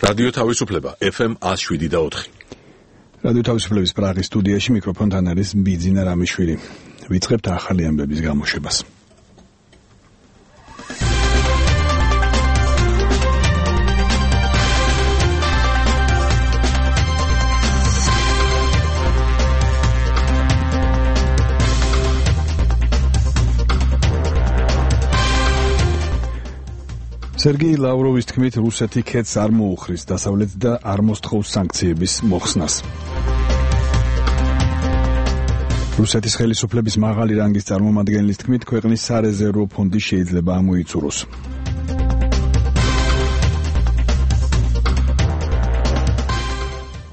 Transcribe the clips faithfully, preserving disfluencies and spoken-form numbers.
რადიო თავისუფლება ეფ ემ one oh seven და four. რადიო თავისუფლების პრაღის სტუდიაში მიკროფონთან არის ბიძინა რამიშვილი. ვიწყებთ ახალი ამბების გამოშვებას. სერგეი ლავროვის თქმით, რუსეთი ქეთს არ მოუხრის დასავლეთს და არ მოსთხოვს სანქციების მოხსნას. რუსეთის ხელისუფლების მაღალი რანგის წარმომადგენლის თქმით, ქვეყნის სარეზერვო ფონდი შეიძლება ამოიწუროს.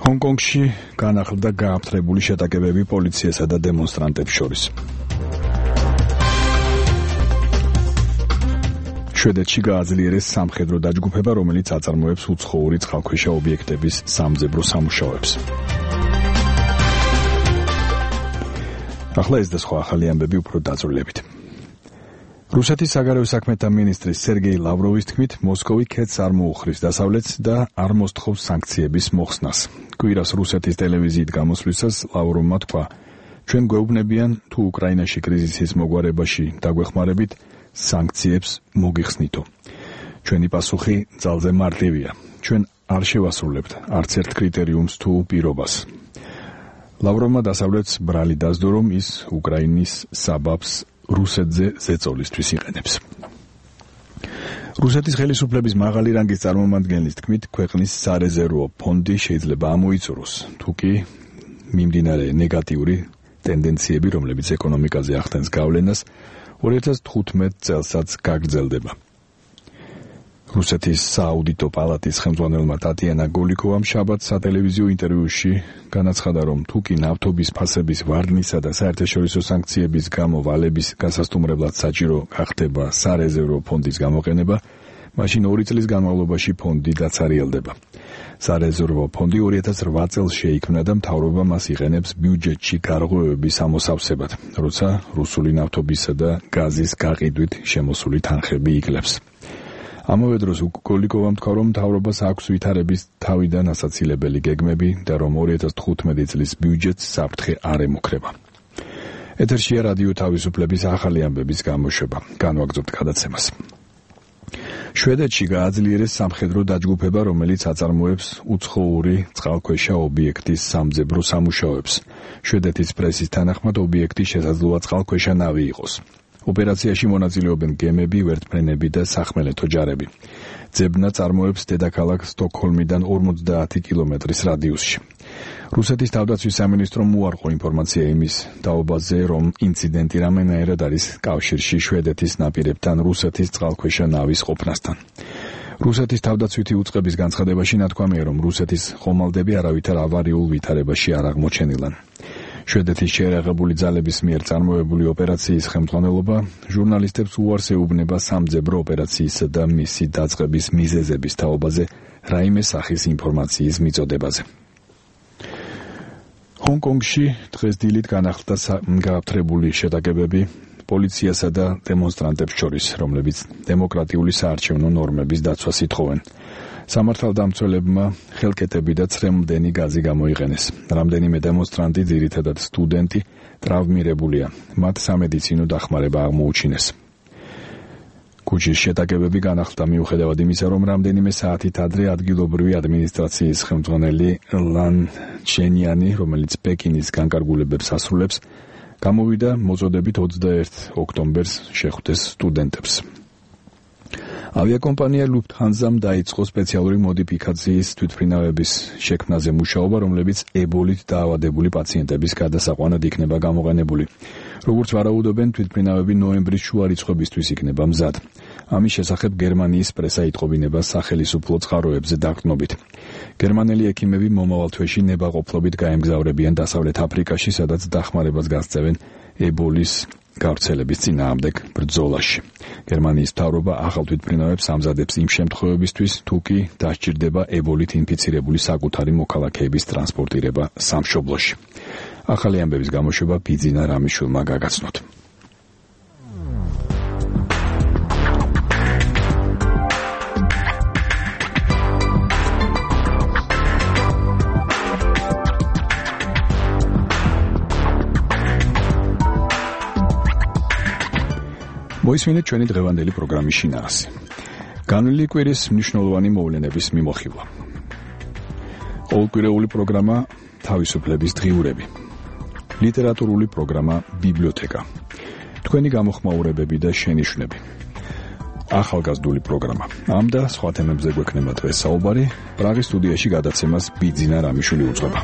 ჰონკონგში განახლდა გააფთრებული შეტაკებები პოლიციასა და დემონსტრანტებს შორის. შვედეთში გააძლიერეს სამხედრო დაჯგუფება, რომელიც აწარმოებს უცხოური წყალქვეშა ობიექტების სამძებრო სამუშაოებს. ახლა ეს და სხვა ახალი ამბები უფრო დაწვრილებით. რუსეთის საგარეო საქმეთა მინისტრის სერგეი ლავროვის თქმით, მოსკოვი ქეთს არ მოუხრის დასავლეთს და არ მოსთხოვს სანქციების მოხსნას. კვირას რუსეთის ტელევიზიით გამოსვლისას ლავროვმა თქვა, ჩვენ გვეუბნებიან, თუ უკრაინაში კრიზისის მოგვარებაში დაგვეხმარებით, სანქციებს მოგიხსნითო. ჩვენი პასუხი ძალზე მარტივია. ჩვენ არ შევასრულებთ არც ერთ კრიტერიუმს თუ პირობას. ლავროვმა დასავლეთს ბრალი დასდო, რომ ის უკრაინის საბაბს რუსეთზე ზეწოლისთვის იყენებს. რუსეთის ხელისუფლების მაღალი რანგის წარმომადგენლის თქმით, ქვეყნის სარეზერვო ფონდი შეიძლება ამოიწუროს, თუკი მიმდინარე ნეგატიური ტენდენციები, რომლებიც ეკონომიკაზე ახდენს გავლენას, two thousand fifteen წელსაც გაგრძელდება. რუსეთის სააუდიტო პალატის ხელმძღვანელმა ტატიანა გოლიკოვამ შაბათს სატელევიზიო ინტერვიუში განაცხადა, რომ თუკი ნავთობის ფასების ვარდნისა და საერთაშორისო სანქციების გამო ვალების გასასტუმრებლად საჭირო გახდება სარეზერვო ფონდის გამოყენება, მაშინ ორი წლის განმავლობაში ფონდი დაცარიელდება. სარეზერვო ფონდი two thousand eight წელს შეიქმნა და მთავრობა მას იყენებს ბიუჯეტში გარღვევების ამოსავსებად, როცა რუსული ნავთობისა და გაზის გაყიდვით შემოსული თანხები იკლებს. ამავე დროს გოლიკოვამ თქვა, რომ მთავრობას აქვს ვითარების თავიდან ასაცილებელი გეგმები და რომ two thousand fifteen წლის ბიუჯეტს საფრთხე არ ემუქრება. ეთერშია რადიო თავისუფლების ახალი ამბების გამოშვება. განვაგრძობთ გადაცემას. შვედეთში გააძლიერეს სამხედრო დაჯგუფება, რომელიც აწარმოებს უცხოური წყალქვეშა ობიექტის სამძებრო სამუშაოებს. შვედეთის პრესის თანახმად ობიექტი შესაძლოა წყალქვეშა ნავი იყოს. ოპერაციაში მონაწილეობენ გემები, ვერტმფრენები და სახმელეთო ჯარები. ძებნა წარმოებს დედაქალაქ სტოკჰოლმიდან ორმოცდაათი კილომეტრის რადიუსში. რუსეთის თავდაცვის სამინისტრომ უარყო ინფორმაცია იმის დაობაზე, რომ ინციდენტი რამენაერად არის კავშირში შვედეთის ნაპირებთან რუსეთის წყალქვეშა ნავის ყოფნასთან. რუსეთის თავდაცვითი უწყების განცხადებაში ნათქვამია, რომ რუსეთის ხომალდები არავითარ ავარიულ ვითარებაში არ აღმოჩენილან. შვედეთის შეერაღებული ძალების მიერ წარმოებული ოპერაციის ხელმძღვანელობა ჟურნალისტებს უარს ეუბნება სამძებრო ოპერაციისა და მისი დაწყების მიზეზების თაობაზე რაიმე სახის ინფორმაციის მიწოდებაზე. ჰონკონგში დღეს დილით განახლდა გააფთრებული შეტაკებები პოლიციასა და დემონსტრანტებს შორის, რომლებიც დემოკრატიული საარჩევნო ნორმების დაცვას ითხოვენ. სამართალდამცველებმა ხელკეტები და ცრემლდენი გაზი გამოიყენეს. რამდენიმე დემონსტრანტი, ძირითადად სტუდენტი, ტრავმირებულია. მათ სამედიცინო დახმარება აღმოუჩინეს. ქუჩის შეტაკებები განახლდა მიუხედავად იმისა, რომ რამდენიმე საათით ადრე ადგილობრივი ადმინისტრაციის ხელმძღვანელი ლან ჩენიანი, რომელიც პეკინის განკარგულებებს ასრულებს, გამოვიდა მოწოდებით ოცდაერთი ოქტომბერს შეხვდეს სტუდენტებს. ავიაკომპანია ლუფთჰანზამ დაიწყო სპეციალური მოდიფიკაციის თვითმფრინავების შექმნაზე მუშაობა, რომლებიც ებოლით დაავადებული პაციენტების გადასაყვანად იქნება გამოყენებული. როგორც ვარაუდობენ, თვითმფრინავები ნოემბრის შუა რიცხვებისთვის იქნება მზად. ამის შესახებ გერმანიის პრესა იტყობინება სახელისუფლო წყაროებზე დაყრდნობით. გერმანელი ექიმები მომავალ თვეში ნებაყოფლობით გაემგზავრებიან დასავლეთ აფრიკაში, სადაც დახმარებას გასცევენ ებოლის გავრცელების წინააღმდეგ ბრძოლაში. გერმანიის მთავრობა ახალ თვითმფრინავებს ამზადებს იმ შემთხვევებისთვის, თუ კი დასჭირდება ებოლით ინფიცირებული საკუთარი მოქალაქეების ტრანსპორტირება სამშობლოში. ახალი ამბების გამოშვება ბიძინა რამიშვილმა გაგაცნოთ. მოისმინეთ ჩვენი დღევანდელი პროგრამის შინაარსი. განვლილი კვირის მნიშვნელოვანი მოვლენების მიმოხილვა. ყოველკვირეული პროგრამა თავისუფლების დღიურები. ლიტერატურული პროგრამა ბიბლიოთეკა. თქვენი გამოხმაურებები და შენიშვნები. ახალგაზრდული პროგრამა. ამ და სხვა თემებზე გვექნება დღეს საუბარი. პრაღის სტუდიაში გადაცემას ბიძინა რამიშვილი უძღვება.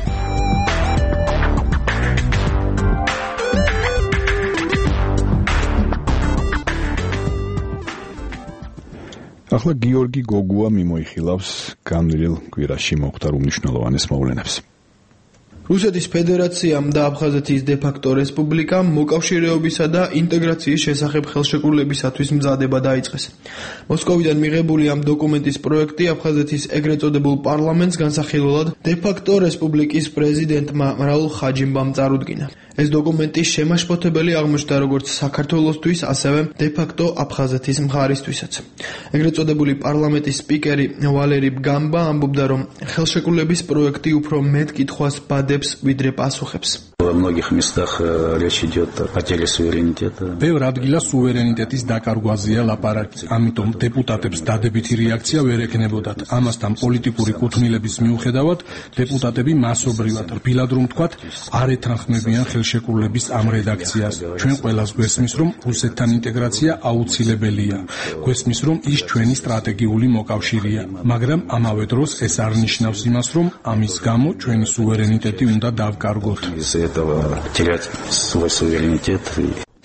ახლა გიორგი გოგუა მიმოიხილავს განვლილ კვირაში მომხდარ უმნიშვნელოვანეს მოვლენებს. რუსეთის ფედერაციამ და აფხაზეთის დე-ფაქტო რესპუბლიკამ მოკავშირეობისა და ინტეგრაციის შესახებ ხელშეკრულებისათვის მზადება დაიწყეს. მოსკოვიდან მიღებული ამ დოკუმენტის პროექტი აფხაზეთის ეგრეთ წოდებულ პარლამენტს განსახილველად დე-ფაქტო რესპუბლიკის პრეზიდენტმა რაულ ხაჯიმბამ წარუდგინა. ეს დოკუმენტი შემაშფოთებელი აღმოჩნდა როგორც საქართველოსთვის, ასევე დე-ფაქტო აფხაზეთის მხარისთვისაც. ეგრეთ წოდებული პარლამენტის სპიკერი ვალერი ბგამბა ამბობდა, რომ ხელშეკრულების პროექტი უფრო მეტ კითხვას ბადებს, ვიდრე პასუხებს. Во многих местах речь идет о потере суверенитета. ბევრ ადგილას სუვერენიტეტის დაკარგვაზეა ლაპარაკი, ამიტომ დეპუტატებს დადებითი რეაქცია ვერ ექნებოდათ. ამასთან პოლიტიკური კუთვნილების მიუხედავად, დეპუტატები მასობრივად, რბილად რომ ვთქვათ, არ ეთანხმებიან ხელშეკრულების ამ რედაქციას. ჩვენ ყველას გვესმის, რომ რუსეთთან ინტეგრაცია აუცილებელია. გვესმის, რომ ის ჩვენი სტრატეგიული მოკავშირეა, მაგრამ ამავე დროს ეს არ ნიშნავს იმას, რომ ამის გამო ჩვენი სუვერენიტეტი უნდა დავკარგოთ.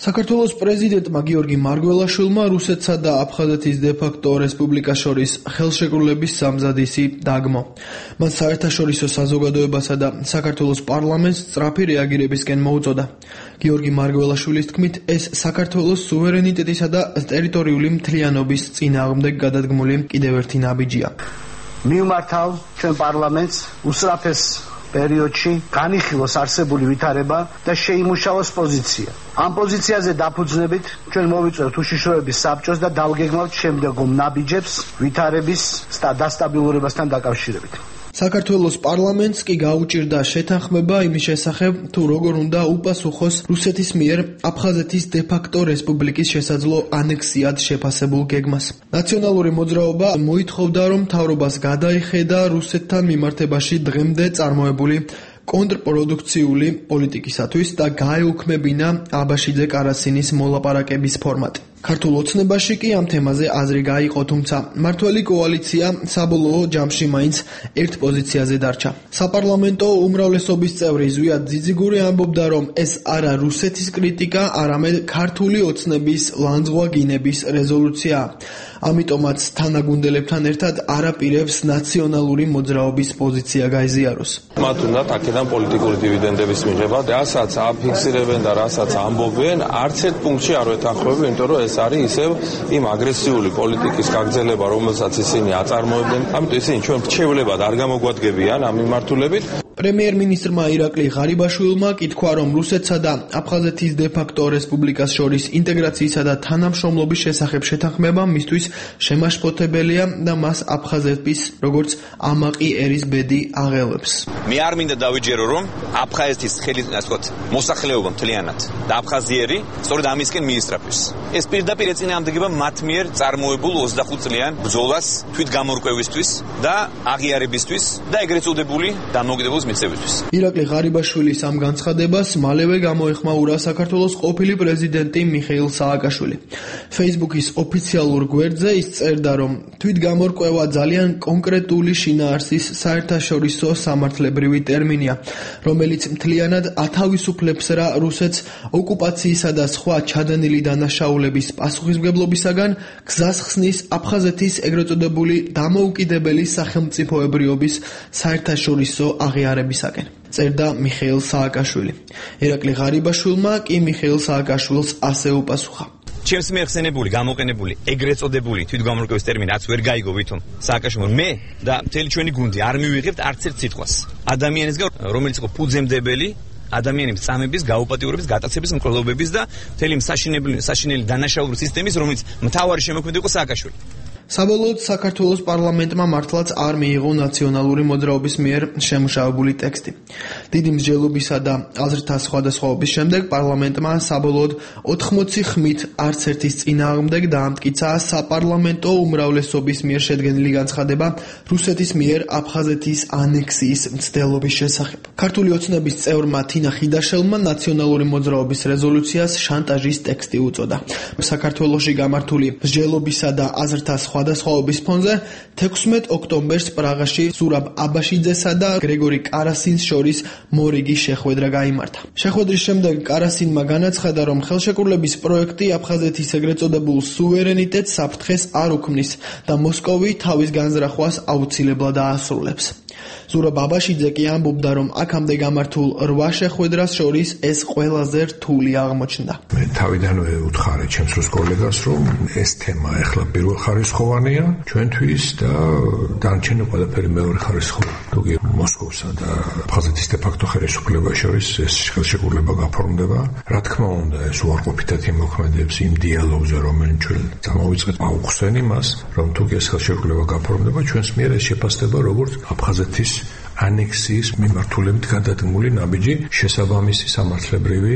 საქართველოს პრეზიდენტმა გიორგი მარგველაშვილმა რუსეთსა და აფხაზეთის დე-ფაქტო რესპუბლიკას შორის ხელშეკრულების სამზადისი დაგმო. მან საერთაშორისო საზოგადოებასა და საქართველოს პარლამენტს სწრაფი რეაგირებისკენ მოუწოდა. გიორგი მარგველაშვილის თქმით, ეს საქართველოს სუვერენიტეტისა და ტერიტორიული მთლიანობის წინააღმდეგ გადადგმული კიდევ ერთი ნაბიჯია. მივმართავ ჩვენ პარლამენტს უსწრაფეს პერიოდში განიხილოს არსებული ვითარება და შეიმუშავოს პოზიცია. ამ პოზიციაზე დაფუძნებით ჩვენ მოვიწვევთ უშიშროების საბჭოს და დავგეგმავთ შემდეგო ნაბიჯებს ვითარების დასტაბილურებასთან დაკავშირებით. საქართველოს პარლამენტს კი გაუჭირდა შეთანხმება იმის შესახებ, თუ როგორ უნდა უპასუხოს რუსეთის მიერ აფხაზეთის დე-ფაქტო რესპუბლიკის შესაძლო ანექსიად შეფასებულ გეგმას. ნაციონალური მოძრაობა მოითხოვდა, რომ მთავრობას გადაიხედა რუსეთთან მიმართებაში დღემდე წარმოებული კონტრპროდუქციული პოლიტიკისათვის და გაეუქმებინა აბაშიძე კარასინის მოლაპარაკების ფორმატი. ქართულ ოცნებაში კი ამ თემაზე აზრი გაიყო, თუმცა მმართველი კოალიცია საბოლოო ჯამში მაინც ერთ პოზიციაზე დარჩა. საპარლამენტო უმრავლესობის წევრი ზვიად ძიძიგური ამბობდა, რომ ეს არა რუსეთის კრიტიკა, არამედ ქართული ოცნების ლანძღვაგინების რეზოლუციაა. ამიტომაც თანაგუნდელებთან ერთად არაპირებს ნაციონალური მოძრაობის პოზიცია გაიზიაროს. მათ უნდა აქედან პოლიტიკური დივიდენდების მიღება, რასაც აფიქსირებენ და რასაც ამბობენ, არც ერთ პუნქტში არ ვეთანხმები, იმიტომ რომ ეს არის ისევ იმ აგრესიული პოლიტიკის გაგრძელება, რომელსაც ისინი აწარმოებენ. ამიტომ ისინი ჩვენ რჩევლებად არ გამოგვადგებიან ამ მიმართულებით. პრემიერ-მინისტრმა ირაკლი ღარიბაშვილმა კითხვა, რომ რუსეთსა და აფხაზეთის დე-ფაქტო რესპუბლიკას შორის ინტეგრაციისა და თანამშრომლობის შესახებ შეთანხმება მისთვის შემაშფოთებელია და მას აფხაზეთის როგორც ამაყი ერის ბედი აღელვებს. მე არ მინდა დავიჯერო, რომ აფხაზეთის ხელი, ასე ვთქვათ, მოსახლეობა მთლიანად და აფხაზიერი სწორედ ამისკენ მიისწრაფებს. ეს პირდაპირ ეწინააღმდეგება მათ მიერ წარმოებულ ოცდახუთ წლიან ბრძოლას თვითგამორკვევისთვის და აღიარებისთვის და ეგრეთ წოდებული დამოუკიდებლობის მიღწევისთვის. ირაკლი ღარიბაშვილის ამ განცხადებას მალევე გამოეხმაურა საქართველოს ყოფილი პრეზიდენტი მიხეილ სააკაშვილი. Facebook-ის ოფიციალურ გვერდზე ის წერდა, რომ თვითგამორკვევა ძალიან კონკრეტული შინაარსის საერთაშორისო სამართლებრივი ტერმინია, რომელიც მთლიანად ათავისუფლებს რა რუსეთს ოკუპაციისა და სხვა ჩადენილი დანაშაულების პასუხისმგებლობისაგან გზას ხსნის აფხაზეთის ეგრეთ წოდებული დამოუკიდებელი სახელმწიფოებრიობის საერთაშორისო აღიარებისაკენ. წერდა მიხეილ სააკაშვილი. ირაკლი ღარიბაშვილმა კი მიხეილ სააკაშვილს ასე უპასუხა. ჩემს მეხსენებული, გამოყენებული, ეგრეთ წოდებული თვითგამორკვევის ტერმინი რაც ვერ გაიგო ვითომ სააკაშვილმა მე და მთელი ჩვენი გუნდი არ მივიღებთ არც ერთ სიტყვას. ადამიანისგან, რომელიც იყო ფუძემდებელი ადამიანის წამების, გაუპატიურების, გატაცების, მკვლელობების და მთელი საშინელი საშინელი დანაშაულებრივი სისტემის, რომელიც მთავარი შემოქმედი იყო სააკაშვილი. საბოლოოდ საქართველოს პარლამენტმა მართლაც არ მიიღო ნაციონალური მოძრაობის მიერ შემუშავებული ტექსტი. დიდი მსჯელობისა და აზრთა სხვადასხვაობის შემდეგ პარლამენტმა საბოლოოდ ოთხმოცი ხმით არც ერთის წინააღმდეგ დაამტკიცა საპარლამენტო უმრავლესობის მიერ შედგენილი განცხადება რუსეთის მიერ აფხაზეთის ანექსიის მცდელობის შესახებ. ქართული ოცნების წევრმა თინა ხიდაშელმა ნაციონალური მოძრაობის რეზოლუციას შანტაჟის ტექსტი უწოდა. საქართველოში გამართული მსჯელობისა და აზრთა სხვადასხვაობის ფონზე თექვსმეტ ოქტომბერს პრაღაში ზურაბ აბაშიძესა და გრეგორი კარასინს შორის მორიგი შეხვედრა გაიმართა. შეხვედრის შემდეგ კარასინმა განაცხადა, რომ ხელშეკრულების პროექტი აფხაზეთის ეგრეთ წოდებულ სუვერენიტეტს საფრთხეს არ უქმნის და მოსკოვი თავის განზრახვას აუცილებლად აასრულებს. ზურაბ აბაშიძე კი ამბობდა, რომ აქამდე გამართულ რვა შეხვედრას შორის ეს ყველაზე რთული აღმოჩნდა. მე თავიდანვე უთხარი ჩემს რუს კოლეგას, რომ ეს თემა ახლა პირველხარისხოვანია ჩვენთვის და დანარჩენი ყველაფერი მეორეხარისხოვანი. თუკი მოსკოვსა და აფხაზეთის დე-ფაქტო ხელისუფლებას შორის ეს ხელშეკრულება გაფორმდება, რა თქმა უნდა, ეს უარყოფითად იმოქმედებს იმ დიალოგზე, რომელიც ჩვენ წამოვიწყეთ, აუხსენ იმას, რომ თუკი ეს ხელშეკრულება გაფორმდება, ჩვენს მიერ ეს შეფასდება როგორც აფხაზეთის ანექსიის მიმართულებით გადადგმული ნაბიჯი შესაბამისი სამართლებრივი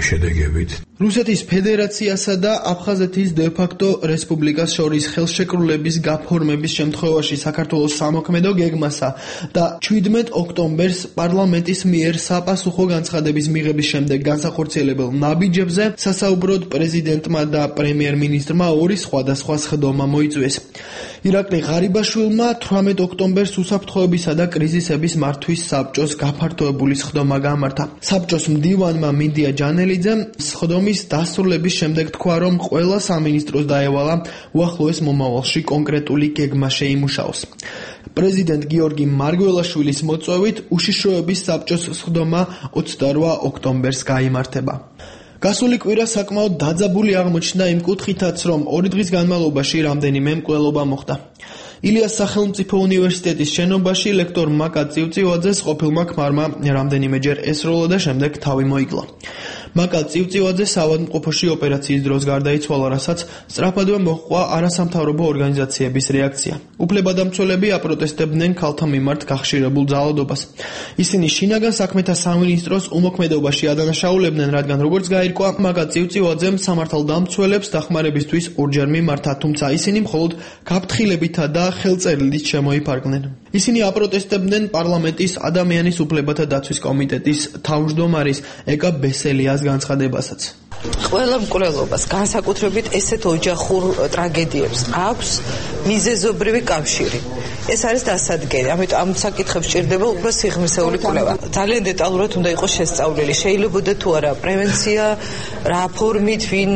შედეგებით. რუსეთის ფედერაციასა და აფხაზეთის დე-ფაქტო რესპუბლიკას შორის ხელშეკრულების გაფორმების შემთხვევაში საქართველოს სამოქმედო გეგმასა და შვიდმეტ ოქტომბერს პარლამენტის მიერ საპასუხო განცხადების მიღების შემდეგ განსახორციელებელ ნაბიჯებზე სასაუბროდ პრეზიდენტმა და პრემიერ-მინისტრმა ორი სხვადასხვა სხდომა მოიწვიეს. ირაკლი ღარიბაშვილმა თვრამეტ ოქტომბერს უსაფრთხოებისა და კრიზისების მართვის საბჭოს გაფართოებული სხდომა გამართა. საბჭოს მდივანმა მინდია ჯანელიძემ სხდომის დასრულების შემდეგ თქვა, რომ ყველა სამინისტროს დაევალა უახლოეს მომავალში კონკრეტული გეგმა შეიმუშაოს. პრეზიდენტ გიორგი მარგველაშვილის მოწვევით უშიშროების საბჭოს სხდომა ოცდარვა ოქტომბერს გაიმართება. გასული კვირა საკმაოდ დაძაბული აღმოჩნდა იმ კუთხითაც, რომ ორი დღის განმავლობაში რამდენიმე მკვლელობა მოხდა. ილიას სახელმწიფო უნივერსიტეტის შენობაში ლექტორ მაკა წივწივაძეს ყოფილმა ქმარმა რამდენიმეჯერ ესროლა და შემდეგ თავი მოიკლა. მაკა წივწივაძე საავადმყოფოში ოპერაციის დროს გარდაიცვალა, რასაც სწრაფადვე მოჰყვა არასამთავრობო ორგანიზაციების რეაქცია. უფლებადამცველები აპროტესტებდნენ ქალთა მიმართ გახშირებულ ძალადობას. ისინი შინაგან საქმეთა სამინისტროს უმოქმედობაში ადანაშაულებდნენ, რადგან როგორც გაირკვა, მაკა წივწივაძემ სამართალდამცველებს დახმარებისთვის ორჯერ მიმართა, თუმცა ისინი მხოლოდ გაფრთხილებითა და ხელწერილით შემოიფარგლნენ. ისინი აპროტესტებდნენ პარლამენტის ადამიანის უფლებათა დაცვის კომიტეტის თავმჯდომარის ეკა ბესელიას განცხადებასაც. ყველა მკვლელობას, განსაკუთრებით ესეთ ოჯახურ ტრაგედიებს აქვს მიზეზობრივი კავშირი. ეს არის დასადგენი, ამიტომ ამ საკითხებს ჭირდება უფრო სიღრმისეული კვლევა. ძალიან დეტალურად უნდა იყოს შესწავლილი. შეიძლებოდა თუ არა პრევენცია, რა ფორმით, ვინ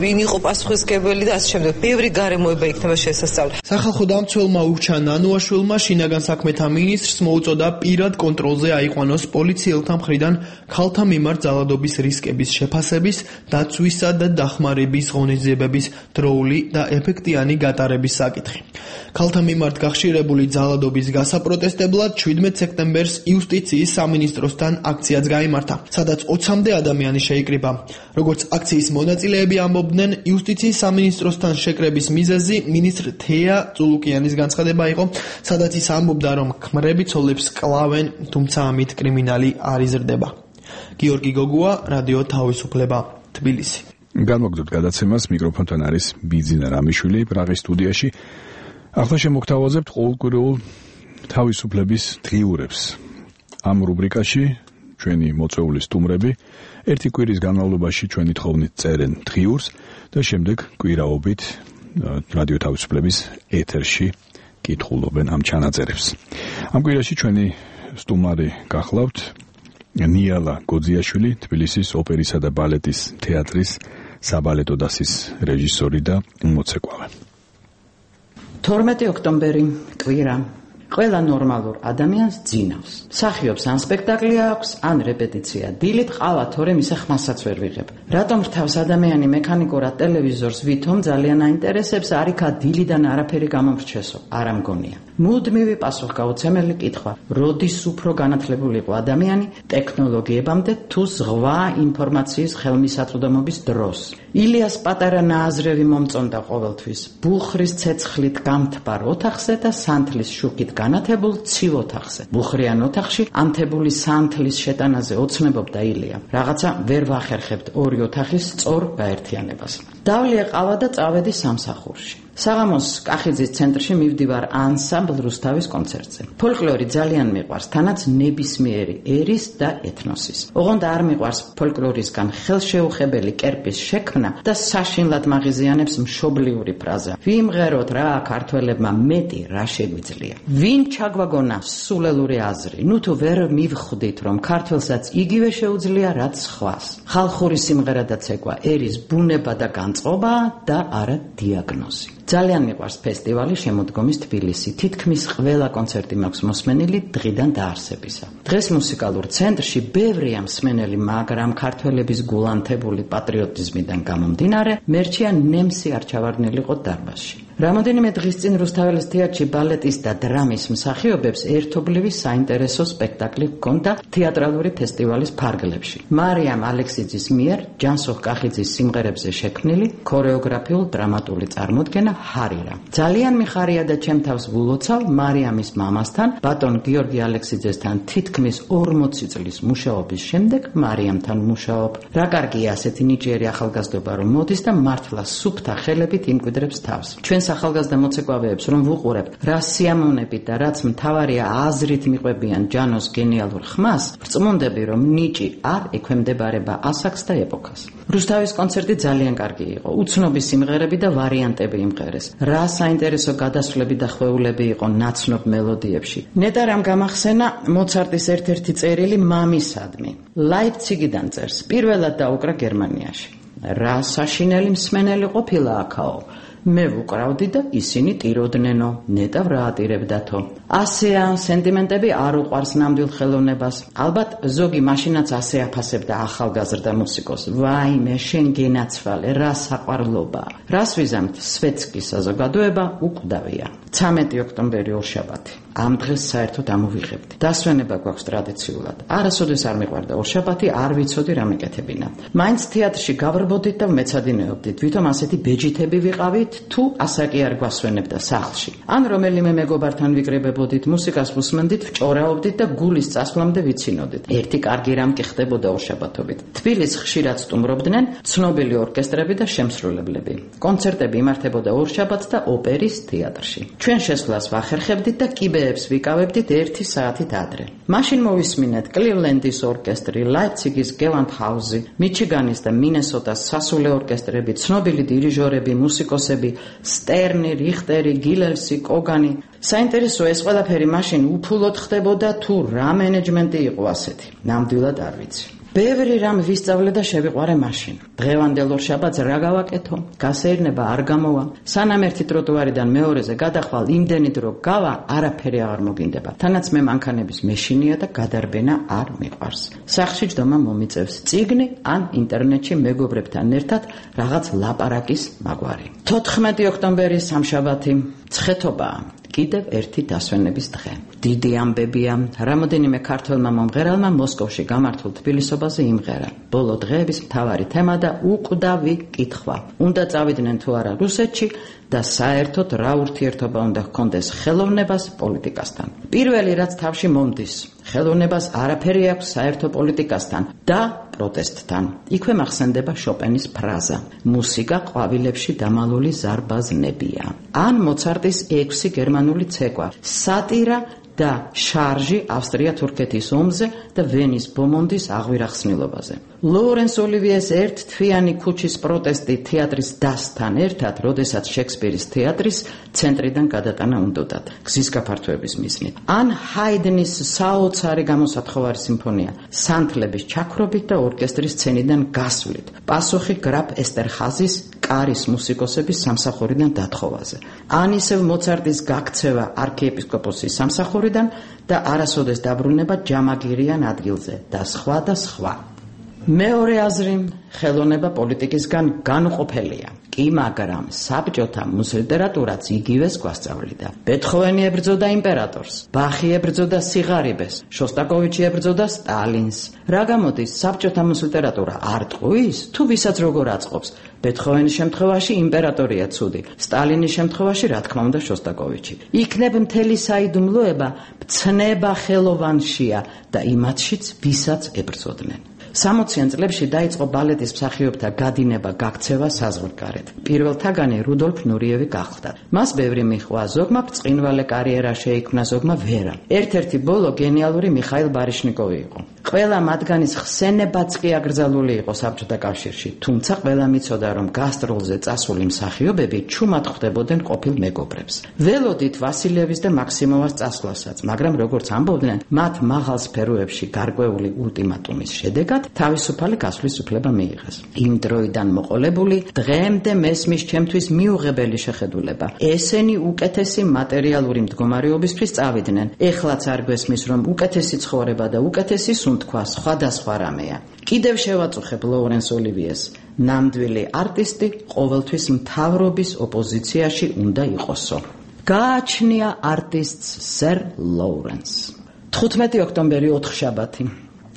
ვინ იყო პასუხისმგებელი და ასე შემდეგ. ბევრი გარემოება იქნება შესასწავლი. სახალხო დამცველმა ურჩა ნანუაშვილმა შინაგან საქმეთა მინისტრს მოუწოდა პირად კონტროლზე აიყვანოს პოლიციელთა მხრიდან ქალთა მიმართ ძალადობის რისკების შეფასების, დაცვისა და დახმარების ღონისძიებების დროული და ეფექტიანი გატარების საკითხი. ქალთა მიმართ გახშირებული ძალადობის გასაპროტესტებლად შვიდმეტ სექტემბერს იუსტიციის სამინისტროსთან აქციაც გაიმართა, სადაც ოცამდე ადამიანი შეიკრიბა. როგორც აქციის მონაწილეები ამბობდნენ, იუსტიციის სამინისტროსთან შეკრების მიზეზი მინისტრ თეა წულუკიანის განცხადება იყო, სადაც ის ამბობდა, რომ ქმრები ცოლებს კლავენ, თუმცა ამით კრიმინალი არ იზრდება. გიორგი გოგუა, რადიო თავისუფლება, თბილისი. განმოგდოთ გადაცემას, მიკროფონთან არის ბიძინა რამიშვილი პრაღის სტუდიაში. ახლა შემოგთავაზებთ ყოველკვირეულ თავისუფლების დღიურებს. ამ რუბრიკაში ჩვენი მოწვეული სტუმრები ერთი კვირის განმავლობაში ჩვენი თხოვნით წერენ დღიურს და შემდეგ კვირაობით რადიო თავისუფლების ეთერში კითხულობენ ამ ჩანაწერებს. ამ კვირაში ჩვენი სტუმარი გახლავთ ნიალა გოძიაშვილი, თბილისის ოპერისა და ბალეტის თეატრის საბალეტო დასის რეჟისორი და მოცეკვავე. თორმეტი ოქტომბერი კვირა. ყველა ნორმალურ ადამიანს ძინავს. მსახიობს ან სპექტაკლი აქვს, ან რეპეტიცია დილით ყავა, თორემ ისე ხმასაც ვერ ვიღებ. რატომ რთავს ადამიანი მექანიკურად ტელევიზორს ვითომ ძალიან აინტერესებს, არიქა დილიდან არაფერი გამომრჩესო, არ ამგონია. მუდმივი პასუხგაუცემელი კითხვა: როდის უფრო განათლებული იყო ადამიანი ტექნოლოგიებამდე თუ ზღვა ინფორმაციის ხელმისაწვდომობის დროს? ილიას პატარა ნააზრევი მომწონდა ყოველთვის ბუხრის ცეცხლით გამთბარ ოთახზე და სანთლის შუქით განათებულ ცივ ოთახზე. ბუხრიან ოთახში ანთებული სანთლის შეტანაზე ოცნებობდა ილია. რაღაცა ვერ ვახერხებთ ორი ოთახის სწორ გაერთიანებას. დავლია ყავა და წავედი სამსახურში. საღამოს კახიძის ცენტრში მივდივარ ანსამბლ რუსთავის კონცერტზე. ფოლკლორი ძალიან მიყვარს, თანაც ნებისმიერი ერის და ეთნოსის. ოღონდ არ მიყვარს ფოლკლორისგან ხელშეუხებელი კერპის შექმნა და საშინლად მაღიზიანებს მშობლიური ფრაზა. ვიმღეროთ რა ქართველებმა მეტი რა შეგვიძლია. ვინ ჩაგვაგონა სულელური აზრი? ნუ თუ ვერ მივხვდით რომ ქართველსაც იგივე შეუძლია რაც სხვას. ხალხური სიმღერა და ცეკვა ერის ბუნება და განწყობა და არა დიაგნოზი. ძალიან მიყვარს ფესტივალი შემოდგომის თბილისი. თითქმის ყველა კონცერტი მაქვს მოსმენილი დღიდან დაარსებისა. დღეს მუსიკალურ ცენტრში ბევრია მსმენელი, მაგრამ ქართველების გულანთებული პატრიოტიზმიდან გამომდინარე, მერჩია ნემსი არ ჩავარდნილიყო დარბაზში. რამოდენიმე დღის წინ რუსთაველის თეატრში ბალეტის და დრამის მსახიობებს ერთობლივი საინტერესო სპექტაკლი ჰქონდა თეატრალური ფესტივალის ფარგლებში. მარიამ ალექსიძის მიერ ჯანსუღ კახიძის სიმღერებზე შექმნილი ქორეოგრაფიულ დრამატული წარმოდგენა ჰარირა. ძალიან მიხარია და ჩემ თავს ვულოცავ მარიამის მამასთან, ბატონ გიორგი ალექსიძესთან თითქმის ორმოცი წლის მუშაობის შემდეგ მარიამთან მუშაობ. რა კარგია ასეთი ნიჭიერი ახალგაზრდობა რომ მოდის და მართლა სუფთა ხელებით იმკვიდრებს თავს. ჩვენ ახალგაზრდა მოცეკვავეებს რომ ვუყურებ რა სიამოვნებით და რაც მთავარია აზრით მიყვებიან ჯანოს გენიალურ ხმას, ვრწმუნდები რომ ნიჭი არ ექვემდებარება ასაკს და ეპოქას. რუსთავის კონცერტი ძალიან კარგი იყო. უცნობი სიმღერები და ვარიანტები იმღერეს. რა საინტერესო გადასვლები და ხვეულები იყო ნაცნობ მელოდიებში. ნეტარამ გამახსენა მოცარტის ერთ-ერთი წერილი მამისადმი. ლაიფციგიდან წერს. პირველად დაუკრა გერმანიაში. რა საშინელი მსმენელი ყოფილა აქაო. მე ვუკრავდი და ისინი ტიროდნენ,ო ნეტავ რა ატირებდათო. ასეა სენტიმენტები არ უყვარს ნამდვილ ხელოვნებას. ალბათ ზოგი მაშინაც ასე აფასებდა ახალგაზრდა მუსიკოს. ვაიმე შენ გენაცვალე, რა საყვარლობა. რას ვიზამთ? სვეტსკის საზოგადოება უკვდავია. ცამეტი ოქტომბერი ორშაბათი. ამ დღეს საერთოდ ამოვიღებდი. დასვენება გვაქვს ტრადიციულად. არასოდეს არ მიყვარდა ორშაბათი, არ ვიცოდი რა მეკეთებინა. მაინც თეატრში გავრბოდით და მეცადინეობდით. ვითომ ასეთი ბეჯითები ვიყავით, თუ ასაკი არ გვასვენებდა სახლში. ან რომელიმე მეგობართან ვიკრებებოდით, მუსიკას ვუსმენდით, ვჭორაობდით და გულის წასვლამდე ვიცინოდით. ერთი კარგი რამ კი ხდებოდა ორშაბათობით. თბილისს ხშირად სტუმრობდნენ ცნობილი ორკესტრები და შემსრულებლები. კონცერტები იმართებოდა ორშაბათს და ოპერის თეატრში. ჩვენ შესვლას ვახერხებდით და კიბეებს ვიკავებდით ერთი საათით ადრე. მაშინ მოვისმინეთ კლივლენდის ორკესტრი, ლაიფციგის გევანდჰაუზი, მიჩიგანის და მინესოტას სასულე ორკესტრები, ცნობილი დირიჟორები, მუსიკოსები, სტერნი, რიხტერი, გილელსი, კოგანი. საინტერესო ეს ყველაფერი მაშინ უფულოდ ხდებოდა თუ რა მენეჯმენტი იყო ასეთი. ნამდვილად არ ვიცი. ბევრი რამ ვისწავლე და შევიყვარე მაშინ. დღევანდელ ორშაბათს რა გავაკეთო? გასეირნება არ გამოვა. სანამ ერთი ტროტუარიდან მეორეზე გადახვალ იმდენი დრო გავა, არაფერი აღარ მოგინდება. თანაც მე მანქანების მეშინია და გადარბენა არ მიყვარს. სახლში ჯდომა მომიწევს წიგნი ან ინტერნეტში მეგობრებთან ერთად რაღაც ლაპარაკის მაგვარი. თოთხმეტი ოქტომბერი სამშაბათი, ცხეთობაა. კიდევ ერთი დასვენების დღე. დიდი ამბებია. რამოდენიმე ქართველმა მომღერალმა მოსკოვში გამართულ თბილისობაზე იმღერა. ბოლო დღეების მთავარი თემა და უკვდავი კითხვა. უნდა წავიდნენ თუ არა რუსეთში და საერთოდ რა ურთიერთობა უნდა ჰქონდეს ხელოვნებას პოლიტიკასთან. პირველი რაც თავში მომდის, ხელოვნებას არაფერი აქვს საერთო პოლიტიკასთან და პროტესტთან. იქვე მახსენდება შოპენის ფრაზა: მუსიკა ყვავილებში დამალული ზარბაზნებია. ან მოცარტის ექვსი გერმანული ცეკვა, სატირა და შარჟი ავსტრია-თურქეთის ომზე და ვენის ბომონდის აღვირახსნილობაზე. ლოურენს ოლივიეს ერთთვიანი ქუჩის პროტესტი თეატრის დასთან ერთად, როდესაც შექსპირის თეატრის ცენტრიდან გადატანა უნდოდათ გზის გაფართოების მიზნით. ან ჰაიდნის საოცარი გამოსათხოვარი სიმფონია სანთლების ჩაქრობით და ორკესტრის სცენიდან გასვლით. პასუხი გრაფ ესტერჰაზის კარის მუსიკოსების სამსახურიდან დათხოვაზე. ან ისევ მოცარტის გაქცევა არქიეპისკოპოსის სამსახურიდან და არასოდეს დაბრუნება ჯამაგირიან ადგილზე და სხვა და სხვა. მეორე აზრი ხელოვნება პოლიტიკისგან განუყოფელია. კი, მაგრამ საბჭოთა მუსლიტერატურაც იგივეს გვასწავლიდა. ბეთჰოვენი ებრძოდა იმპერატორს, ბახი ებრძოდა სიღარიბეს, შოსტაკოვიჩი ებრძოდა სტალინს. რა გამოდის, საბჭოთა მუსლიტერატურა არ ტყუის, თუ ვისაც როგორ აწყობს? ბეთჰოვენის შემთხვევაში იმპერატორია ცუდი, სტალინის შემთხვევაში რა თქმა უნდა შოსტაკოვიჩი. იქნებ მთელი საიდუმლოება მცნება ხელოვანშია და იმათშიც ვისაც ებრძოდნენ. სამოციან წლებში დაიწყო ბალეტის მსახიობთა გადინება, გაქცევა საზღვარგარეთ. პირველთაგანი რუდოლფ ნურიევი გახდა. მას ბევრი მიჰყვა, ზოგმა ბრწყინვალე კარიერა შეიქმნა, ზოგმა ვერა. ერთ-ერთი ბოლო გენიალური მიხაილ ბარიშნიკოვი იყო. ყველა მათგანის ხსენებაც კი აკრძალული იყო საბჭოთა კავშირში, თუმცა ყველამ იცოდა, რომ გასტროლზე წასული მსახიობები ჩუმად ხვდებოდნენ ყოფილ მეგობრებს. ველოდით ვასილევის და მაქსიმოვას წასვლასაც, მაგრამ როგორც ამბობდნენ, მათ მაღალ სფეროებში გარკვეული ულტიმატუმის შედეგად თავისუფალი გასვლის უფლება მიიღეს. იმ დროიდან მოყოლებული დღემდე მესმის ჩემთვის მიუღებელი შეხედულება. ესენი უკეთესი მატერიალური მდგომარეობისთვის წავიდნენ. ეხლაც არ გვესმის, რომ უკეთესი ცხოვრება და უკეთესი სუნთქვა სხვადასხვა რამეა. კიდევ შევაწუხებ ლოურენს ოლივიეს. ნამდვილი არტისტი ყოველთვის მთავრობის ოპოზიციაში უნდა იყოსო. გააჩნია არტისტს სერ ლოურენს. თხუთმეტი ოქტომბერი ოთხშაბათი.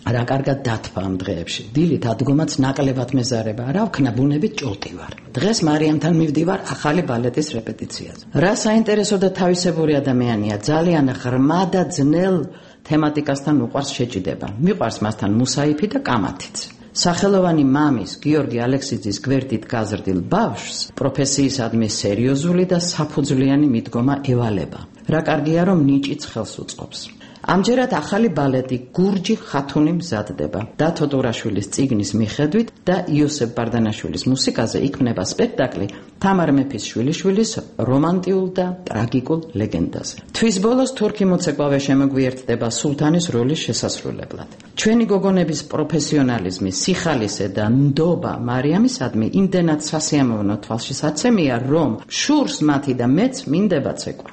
რა კარგად დათვა ამ დღეებში. დილით ადგომაც ნაკლებად მეზარება. რა ვქნა ბუნებით ჭოტი ვარ. დღეს მარიამთან მივდივარ ახალი ბალეტის რეპეტიციაზე. რა საინტერესო და თავისებური ადამიანია. ძალიან ღრმა და ძნელ თემატიკასთან უყვარს შეჭიდება. მიყვარს მასთან მუსაიფი და კამათიც. სახელოვანი მამის გიორგი ალექსიძის გვერდით გაზრდილ ბავშვს პროფესიისადმი სერიოზული და საფუძვლიანი მიდგომა ევალება. რა კარგია რომ ნიჭიც ხელს უწყობს. ამჯერად ახალი ბალეტი გურჯი ხათუნი მზადდება. დათო ტურაშვილის წიგნის მიხედვით და იოსებ ბარდანაშვილის მუსიკაზე იქმნება სპექტაკლი თამარ მეფის შვილიშვილის რომანტიულ და ტრაგიკულ ლეგენდაზე. თვის ბოლოს თურქი მოცეკვავე შემოგვიერთდება სულთანის როლის შესასრულებლად. ჩვენი გოგონების პროფესიონალიზმი, სიხალისე და ნდობა მარიამისადმი იმდენად სასიამოვნო თვალშისაცემია, რომ შურს მათი და მეც მინდება ცეკვა.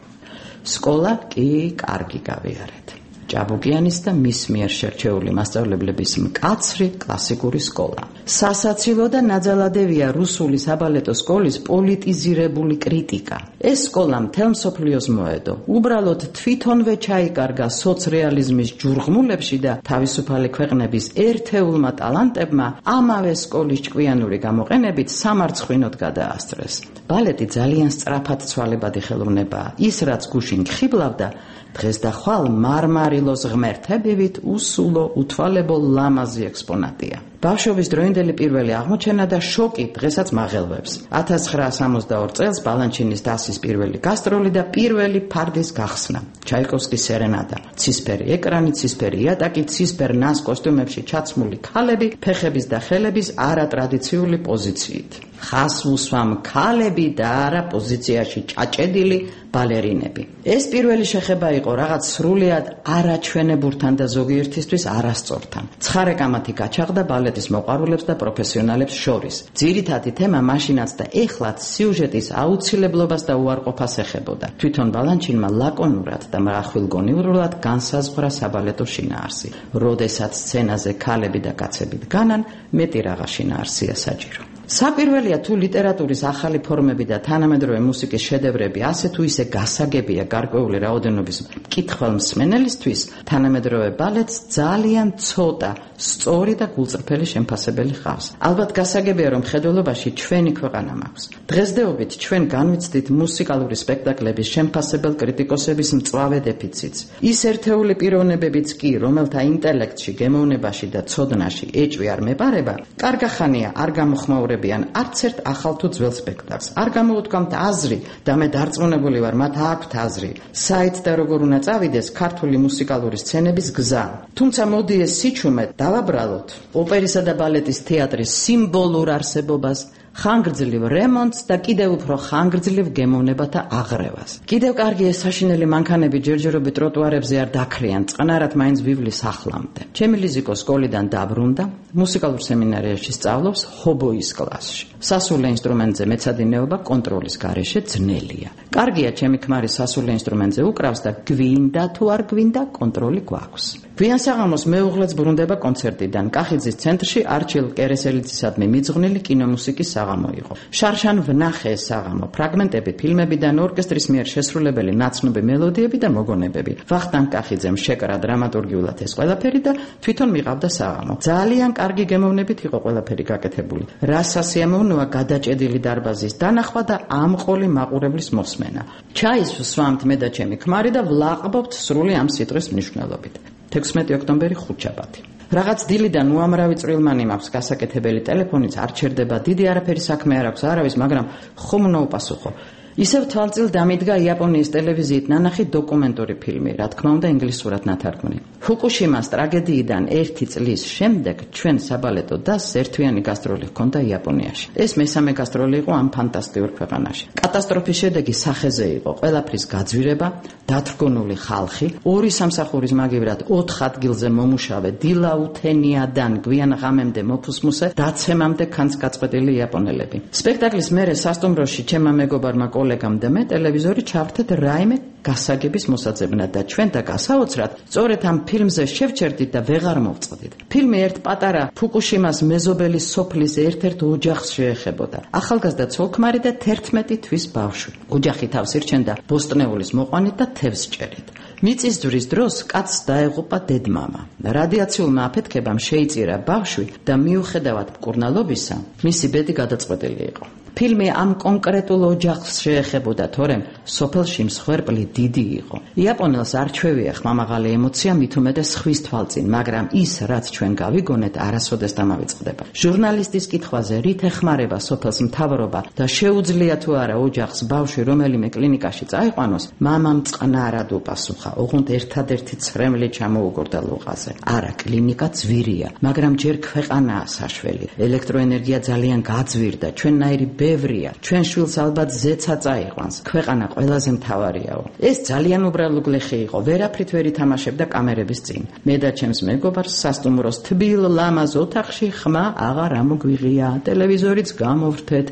სკოლა კი კარგი გავიარეთ. ჭაბუკიანის და მის მიერ შერჩეული მასწავლებლების მკაცრი კლასიკური სკოლა. სასაცილო და ნაძალადებია რუსული საბალეტო სკოლის პოლიტიზირებული კრიტიკა. ეს სკოლა მთელ მსოფლიოს მოედო. უბრალოდ თვითონვე ჩაიკარგა სოცრეალიზმის ჯურღმულებში და თავისუფალი ქვეყნების ერთეულმა ტალანტებმა ამავე სკოლის ჭკვიანური გამოყენებით სამარცხვინოდ გადაასწრეს. ბალეტი ძალიან სწრაფად ცვალებადი ხელოვნებაა. ის რაც გუშინ ხიბლავდა დღეს და ხვალ მარმარილოს ღმერთებივით უსულო უთვალებო ლამაზი ექსპონატია. ბავშვობის დროინდელი პირველი აღმოჩენა და შოკი დღესაც მაღელვებს. ათას ცხრაასი სამოცდაორი წელს ბალანჩინის დასის პირველი გასტროლი და პირველი ფარდის გახსნა. ჩაიკოვსკის სერენადა. ცისფერი ეკრანი, ცისფერი იატაკი, ცისფერ ნას კოსტუმებში ჩაცმული ქალები, ფეხების და ხელების არატრადიციული პოზიციით. ხას უსვამ ქალები და არა პოზიციაში ჭაჭედილი ბალერინები. ეს პირველი შეხება იყო რაღაც სრულიად არაჩვენებურთან და ზოგიერთისთვის არასწორთან. ცხარე კამათი გაჩაღდა ბალეტის მოყვარულებს და პროფესიონალებს შორის. ძირითადი თემა მაშინაც და ეხლაც სიუჟეტის აუცილებლობას და უარყოფას ეხებოდა. თვითონ ბალანჩინმა ლაკონურად და მრახვილგონივრულად განსაზღვრა საბალეტო შინაარსი. როდესაც სცენაზე ქალები და კაცები დგანან, მეტი რაღა შინაარსია საჭირო. საპირველია თუ ლიტერატურის ახალი ფორმები და თანამედროვე მუსიკის შედევრები ასე თუ ისე გასაგებია გარკვეული რაოდენობის მკითხველმსმენელისთვის, თანამედროვე ბალეტს ძალიან ცოტა სწორი და გულწრფელი შემფასებელი ჰყავს. ალბათ გასაგებია, რომ მხედველობაში ჩვენი ქვეყანა მაქვს. დღესდღეობით ჩვენ განვიცდით მუსიკალური სპექტაკლების შემფასებელ კრიტიკოსების მწვავე დეფიციტს. ის ერთეული პიროვნებებიც კი, რომელთა ინტელექტში, გემოვნებაში და ცოდნაში ეჭვი არ მეპარება, კარგა ხანია არ გამოხმაურება აუღებიან არც ერთ ახალ თუ ძველ სპექტაკლს. არ გამოუთქვამთ აზრი და მე დარწმუნებული ვარ, მათ აქვთ აზრი. საით და როგორ უნდა წავიდეს ქართული მუსიკალური სცენების გზა. თუმცა მოდი ეს სიჩუმე დავაბრალოთ ოპერისა და ბალეტის თეატრის სიმბოლურ არსებობას, ხანგრძლივ რემონტს და კიდევ უფრო ხანგრძლივ გემოვნებათა აღრევას. კიდევ კარგია საშინელი მანქანები ჯერჯერობით ტროტუარებზე არ დაქრიან, წყნარად მაინც ვივლის ახლამდე. ჩემი ლიზიკო სკოლიდან დაბრუნდა, მუსიკალურ სემინარიაში სწავლობს ჰობოის კლასში. სასულე ინსტრუმენტზე მეცადინეობა კონტროლის გარეშე ძნელია. კარგია ჩემი ქმარი სასულე ინსტრუმენტზე უკრავს და გვინდა თუ არ გვინდა კონტროლი გვაქვს. გვიან საღამოს მეუღლეც ბრუნდება კონცერტიდან. კახიძის ცენტრში არჩილ კერესელიძისადმი მიძღვნილი კინომუსიკის საღამო იყო. შარშან ვნახე ეს საღამო, ფრაგმენტები ფილმებიდან, ორკესტრის მიერ შესრულებელი ნაცნობი მელოდიები და მოგონებები. ვახტანგ კახიძემ შეკრა დრამატურგიულად ეს ყველაფერი და თვითონ მიყავდა საღამო. ძალიან კარგი გემოვნებით იყო ყველაფერი გაკეთებული. რა სასიამოვნოა გადაჭედილი დარბაზის დანახვა და ამყოლი მაყურებლის მოსმენა. ჩაის ვსვამთ მე და ჩემი ქმარი და ვლაყბობთ სრული ამ სიტყვის მნიშვნელობით. თექვსმეტი ოქტომბერი ხუთშაბათი. რაღაც დილიდან უამრავი წვრილმანი მაქვს, გასაკეთებელი ტელეფონიც არ ჩერდება, დიდი არაფერი საქმე არ აქვს არავის, მაგრამ ხომ უნდა უპასუხო. ისევ თვალწილ დამიდგა იაპონიის ტელევიზიით ნანახი დოკუმენტური ფილმი, რა თქმა უნდა ინგლისურად ნათარგმნი. ფუკუშიმას ტრაგედიიდან ერთი წლის შემდეგ ჩვენ საბალეტო დასს ერთვიანი გასტროლი ჰქონდა იაპონიაში. ეს მესამე გასტროლი იყო ამ ფანტასტიკურ ქვეყანაში. კატასტროფის შედეგი სახეზე იყო, ყველაფრის გაძვირება, დათრგუნული ხალხი, ორი სამსახურის მაგივრად ოთხ ადგილზე მომუშავე, დილაუთენიადან გვიან ღამემდე მოფუსმუსე, დაცემამდე ქანს გაწყვეტილი იაპონელები. სპექტაკლის მერე სასტუმროში ჩემმა მეგობარმა კოლეგამ და მე ტელევიზორი ჩავრთეთ რაიმე გასაგების მოსაძებნად და ჩვენ და გასაოცრად სწორედ ამ ფილმზე შევჩერდით და ვეღარ მოვწყდით. ფილმი ერთ პატარა ფუკუშიმას მეზობელი სოფლის ერთ-ერთ ოჯახს შეეხებოდა. ახალგაზრდა ცოლ-ქმარი და თერთმეტი თვის ბავშვი. ოჯახი თავს ირჩენდა ბოსტნეულის მოყვანით და თევზს ჭერით. მიწისძვრის დროს კაცს დაეღუპა დედმამა. რადიაციულმა აფეთქებამ შეიწირა ბავშვი და მიუხედავად მკურნალობისა, მისი ბედი გადაწყვეტილი იყო. ფილმი ამ კონკრეტულ ოჯახს შეეხებოდა, თორემ სოფელში მსხვერპლი დიდი იყო. იაპონელს არ ჩვევია ხმამაღალი ემოცია, მით უმეტეს ხვის თვალწინ, მაგრამ ის, რაც ჩვენ გავიგონეთ, არასოდეს დამავიწყდება. ჟურნალისტის კითხვაზე, რით ეხმარება სოფელს მთავრობა და შეუძლია თუ არა ოჯახს ბავშვი რომელიმე კლინიკაში წაიყვანოს, მამამ წყნარად უპასუხა, ოღონდ ერთადერთი ცრემლი ჩამოუგორდა ლოყაზე. არა, კლინიკა ძვირია, მაგრამ ჯერ ქვეყანაა საშველი. ელექტროენერგია ძალიან გაძვირდა, ჩვენნაირი ბევრია, ჩვენ შვილს ალბათ ზეცა წაიყვანს, ქვეყანა ყველაზე მთავარიაო. ეს ძალიან უბრალო გლეხი იყო, ვერაფრით ვერ ითამაშებდა კამერების წინ. მე და ჩემს მეგობარს სასტუმროს თბილ ლამაზ ოთახში ხმა აღარ ამოგვიღია, ტელევიზორიც გამოვრთეთ,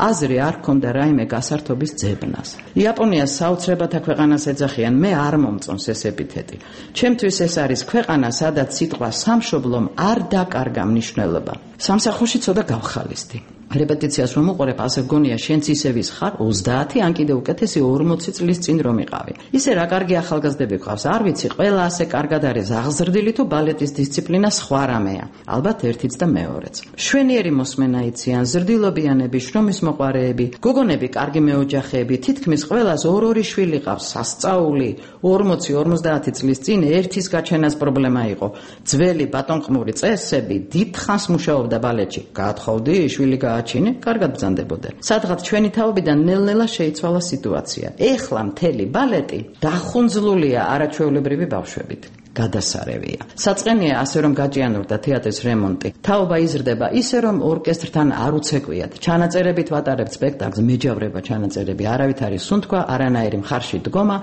აზრი არ ქონდა რაიმე გასართობის ძებნას. იაპონიას საოცრებათა ქვეყანას ეძახიან, მე არ მომწონს ეს ეპითეტი. ჩემთვის ეს არის ქვეყანა, სადაც სიტყვა სამშობლომ არ დაკარგა მნიშვნელობა. სამსახურში ცოტა გავხალისდი. რეპეტიციას რომ უყურებ, ასე გონია შენც ისევის ხარ ოცდაათი ან კიდე უკეთესი ორმოცი წლის წინ რომ იყავი. ისე რა კარგი ახალგაზრდები გყავს, არ ვიცი, ყველა ასე კარგად არის აღზრდილი თუ ბალეტის დისციპლინა სხვა რამეა. ალბათ ერთიც და მეორეც. შვენიერი მოსმენა იციან, ზრდილობიანები, შრომის მოყვარეები, გოგონები, კარგი მეოჯახეები, თითქმის ყველას ორ-ორი შვილი ყავს, სასწაული. ორმოცი ორმოცდაათი წლის წინ ერთის გაჩენას პრობლემა იყო. ძველი ბატონყმური წესები დიდხანს მუშაობდა ბალეტში. გაათხოვდი, შვილი გააჩინე, კარგად ბრძანდებოდა. სადღაც ჩვენი თაობიდან ნელ-ნელა შეიცვალა სიტუაცია. ეხლა მთელი ბალეტი დახუნძლულია არაჩვეულებრივი ბავშვებით. გადასარევია. საწყენია ასე რომ გაჭიანურდა თეატრის რემონტი. თაობა იზრდება ისე რომ ორკესტრთან არ უცეკვიათ. ჩანაწერებით ვატარებთ სპექტაკლს, მეჯავრება ჩანაწერები, არავით არის სუნთქვა, არანაირი მხარში დგომა,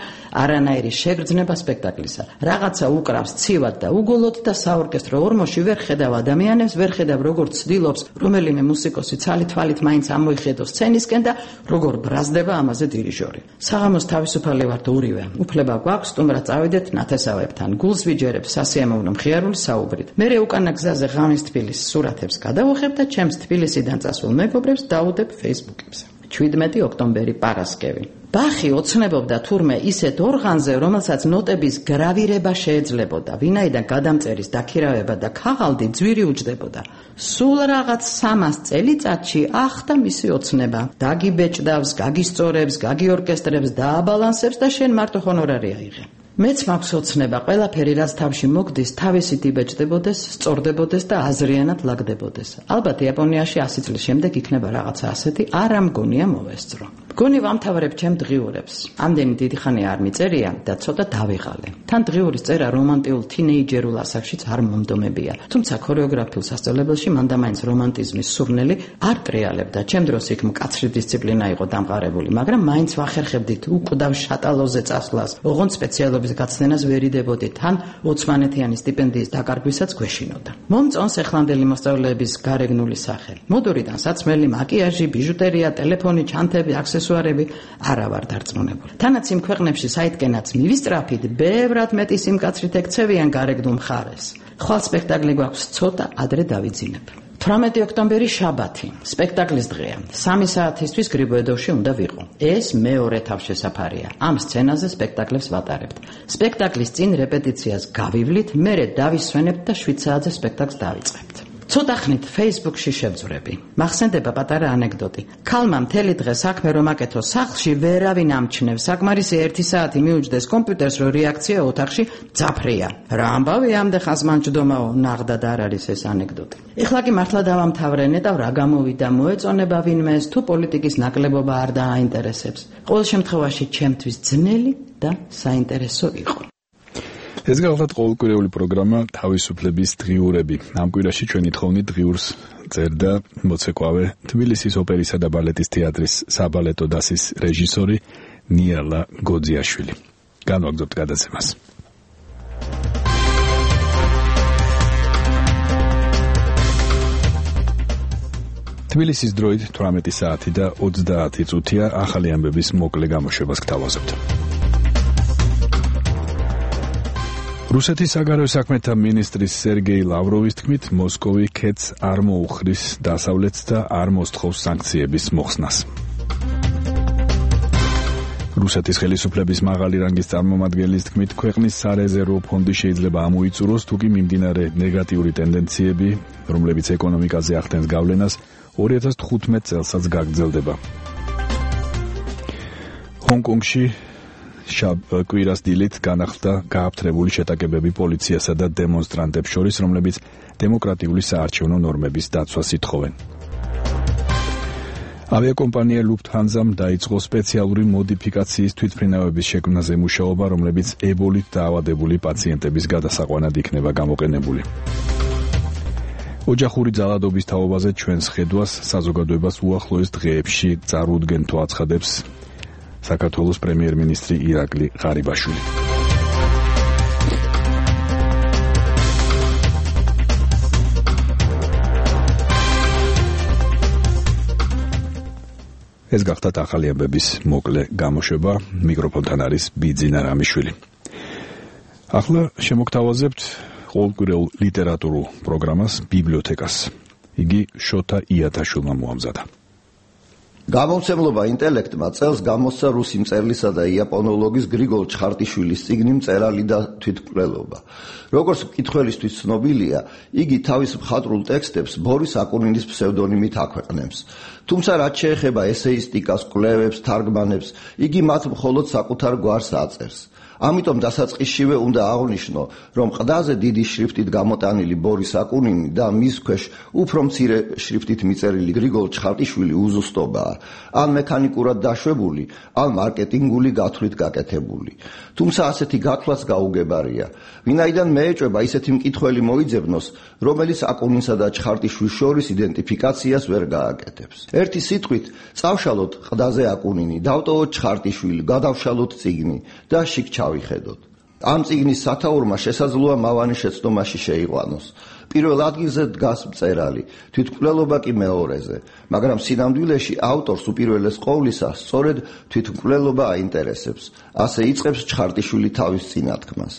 არანაირი შეგრძნება სპექტაკლისა. რაღაცა უკრავს ცივად და უგოლოდ და საორკესტრო ორმოში ვერ ხედავ ადამიანებს, ვერ ხედავ როგორც ცდილობს რომელიმე მუსიკოსი ცალი თვალით მაინც ამოიხედოს სცენისკენ და როგორ ბრაზდება ამაზე დირიჟორი. საღამოს თავისუფალი ვართ ორივე. უფლება გვაქვს სტუმრად წავიდეთ ნათესავებთან. გულს ვიჯერებ სასიამოვნო მხიარული საუბრით. მერე უკანა გზაზე ღამის თბილისის სურათებს გადავუხებ და ჩემს თბილისიდან წასულ მეგობრებს დავუდებ Facebook-ებზე. შვიდმეტი ოქტომბერი პარასკევი. ბახი ოცნებობდა თურმე ისეთ ორღანზე, რომელსაც ნოტების გრავირება შეეძლებოდა, ვინაიდან გადამწერის დაქირავება და ქაღალდი ძვირი უჯდებოდა. სულ რაღაც სამას წელიწადში ახდა მისი ოცნება. დაგიბეჭდავს, გაგისწორებს, გაგიორკესტრებს, დააბალანსებს და შენ მარტო ჰონორარი აიღე. მეც მაქვს ოცნება, ყველაფერი რაც თავში მოგდის, თავისით იბეჭდებოდეს, სწორდებოდეს და აზრიანად ლაგდებოდეს. ალბათ იაპონიაში ასი წლის შემდეგ იქნება რაღაცა ასეთი, არ ამგონია მოვესწრო. მგონი ვამთავრებ ჩემ დღიურებს. ამდენი დიდი ხანი არ მიწერია და ცოტა დავიღალე. თან დღიურის წერა რომანტიულ თინეიჯერულ ასაკშიც არ მომდომებია. თუმცა ქორეოგრაფიულ სასწავლებელში მან და მაინც რომანტიზმის სურნელი არ ტრიალებდა. ჩემ დროს იქ მკაცრი დისციპლინა იყო დამყარებული, მაგრამ მაინც ვახერხებდით უკვდავ შატალოზე წასვლას. ოღონდ სპეციალობის გაცდენას ვერიდებოდი, თან ოცმანეთიანი სტიპენდიის დაკარგვისაც გვეშინოდა. მომწონს ეხლანდელი მოსწავლეების გარეგნული სახე. მოდურიდან საცმელი, მაკიაჟი, ბიჟუტერია, ტელეფონი, ჩანთები, აქსესუარები არა ვარ დარწმუნებული. თანაც იმ ქვეყნებში საითკენაც მივისწრაფით, ბევრად მეტი სიმკაცრით ექცევიან გარეგნულ მხარეს. ხვალ სპექტაკლი გვაქვს ცოტა, ადრე დავიძინებ. თვრამეტი ოქტომბერი შაბათი, სპექტაკლის დღეა. სამი საათისთვის გრიბოედოვში უნდა ვიყო. ეს მეორე თავშესაფარია. ამ სცენაზე სპექტაკლებს ვატარებთ. სპექტაკლის წინ რეპეტიციას გავივლით, მერე დავისვენებთ და შვიდ საათზე სპექტაკლს დავიწყებთ. ცოტა ხნით Facebook-ში შევძვრები. მახსენდება პატარა ანეკდოტი. ქალმა მთელი დღე საქმე რომ აკეთო სახლში, ვერავინ ამჩნევს. საკმარისი ერთი საათი მიუჯდეს კომპიუტერს, რომ რეაქცია ოთახში ძაფრია. რა ამბავი ამდე ხანს მან ჯდომაო, ნაღდად არ არის ეს ანეკდოტი. ეხლა კი მართლა დავამთავრე, ნეტავ რა გამოვიდა, მოეწონება ვინმეს, თუ პოლიტიკის ნაკლებობა არ დააინტერესებს. ყოველ შემთხვევაში ჩემთვის ძნელი და საინტერესო იყო. ეს გახლავთ ყოველკვირეული პროგრამა თავისუფლების დღიურები. ამ კვირაში ჩვენი თხოვნით დღიურს წერდა მოცეკვავე თბილისის ოპერისა და ბალეტის თეატრის საბალეტო დასის რეჟისორი ნიალა გოძიაშვილი. განვაგრძობთ გადაცემას. თბილისის დროით თვრამეტი საათი და ოცდაათი წუთია. ახალი ამბების მოკლე გამოშვებას გთავაზობთ. რუსეთის საგარეო საქმეთა მინისტრის სერგეი ლავროვის თქმით, მოსკოვი ქეთს არ მოუხრის დასავლეთს და არ მოსთხოვს სანქციების მოხსნას. რუსეთის ხელისუფლების მაღალი რანგის წარმომადგენლის თქმით, ქვეყნის სარეზერვო ფონდი შეიძლება ამოიწუროს, თუკი მიმდინარე ნეგატიური ტენდენციები, რომლებიც ეკონომიკაზე ახდენს გავლენას, ორი ათას თხუთმეტ წელსაც გაგრძელდება. ჰონკონგში კვირას დილით განახლდა გააფთრებული შეტაკებები პოლიციასა და დემონსტრანტებს შორის, რომლებიც დემოკრატიული საარჩევნო ნორმების დაცვას ითხოვენ. ავიაკომპანია Lufthansa-მ დაიწყო სპეციალური მოდიფიკაციის თვითმფრინავების შექმნაზე მუშაობა, რომლებიც ებოლით დაავადებული პაციენტების გადასაყვანად იქნება გამოყენებული. ოჯახური ძალადობის თაობაზე ჩვენს ხედვას საზოგადოებას უახლოეს დღეებში წარუდგენთო აცხადებს საქართველოს პრემიერ-მინისტრი ირაკლი ღარიბაშვილი. ეს გახდათ ახალი ამბების მოკლე გამოშვება. მიკროფონთან არის ბიძინა რამიშვილი. ახლა შემოგთავაზებთ ყოველკვირეულ ლიტერატურულ პროგრამას ბიბლიოთეკას. იგი შოთა იათაშვილმა მოამზადა. გამომცემლობა ინტელექტმა წელს გამოსცა რუსი მწერლისა და იაპონოლოგის გრიგოლ ჩხარტიშვილის წიგნი მწერალი და თვითმკვლელობა. როგორც მკითხველისთვის ცნობილია, იგი თავის მხატვრულ ტექსტებს ბორის აკუნინის ფსევდონიმით აქვეყნებს. თუმცა რაც შეეხება ესეისტიკას, კვლევებს, თარგმანებს, იგი მათ მხოლოდ საკუთარ გვარს აწერს. ამიტომ დასაწყისშივე უნდა აღვნიშნო, რომ ყდაზე დიდი შრიფტით გამოტანილი ბორის აკუნინი და მის ქვეშ უფრო მცირე შრიფტით მიწერილი გრიგოლ ჩხარტიშვილი უზუსტობაა, ან მექანიკურად დაშვებული, ან მარკეტინგული გათვლით გაკეთებული. თუმცა ასეთი გათვლაც გაუგებარია, ვინაიდან მეეჭვება ისეთი მკითხველი მოიძებნოს, რომელიც აკუნინსა და ჩხარტიშვილს შორის იდენტიფიკაციას ვერ გააკეთებს. ერთი სიტყვით, წავშალოთ ყდაზე აკუნინი, დავტოვოთ ჩხარტიშვილი, გადავშალოთ წიგნი და შიგ ჩავიხედოთ. ამ წიგნის სათაურმა შესაძლოა მავანი შეცდომაში შეიყვანოს. პირველ ადგილზე დგას მწერალი, თვითმკვლელობა კი მეორეზე, მაგრამ სინამდვილეში ავტორს უპირველეს ყოვლისა სწორედ თვითმკვლელობა აინტერესებს. ასე იწყებს ჩხარტიშვილი თავის წინათქმას.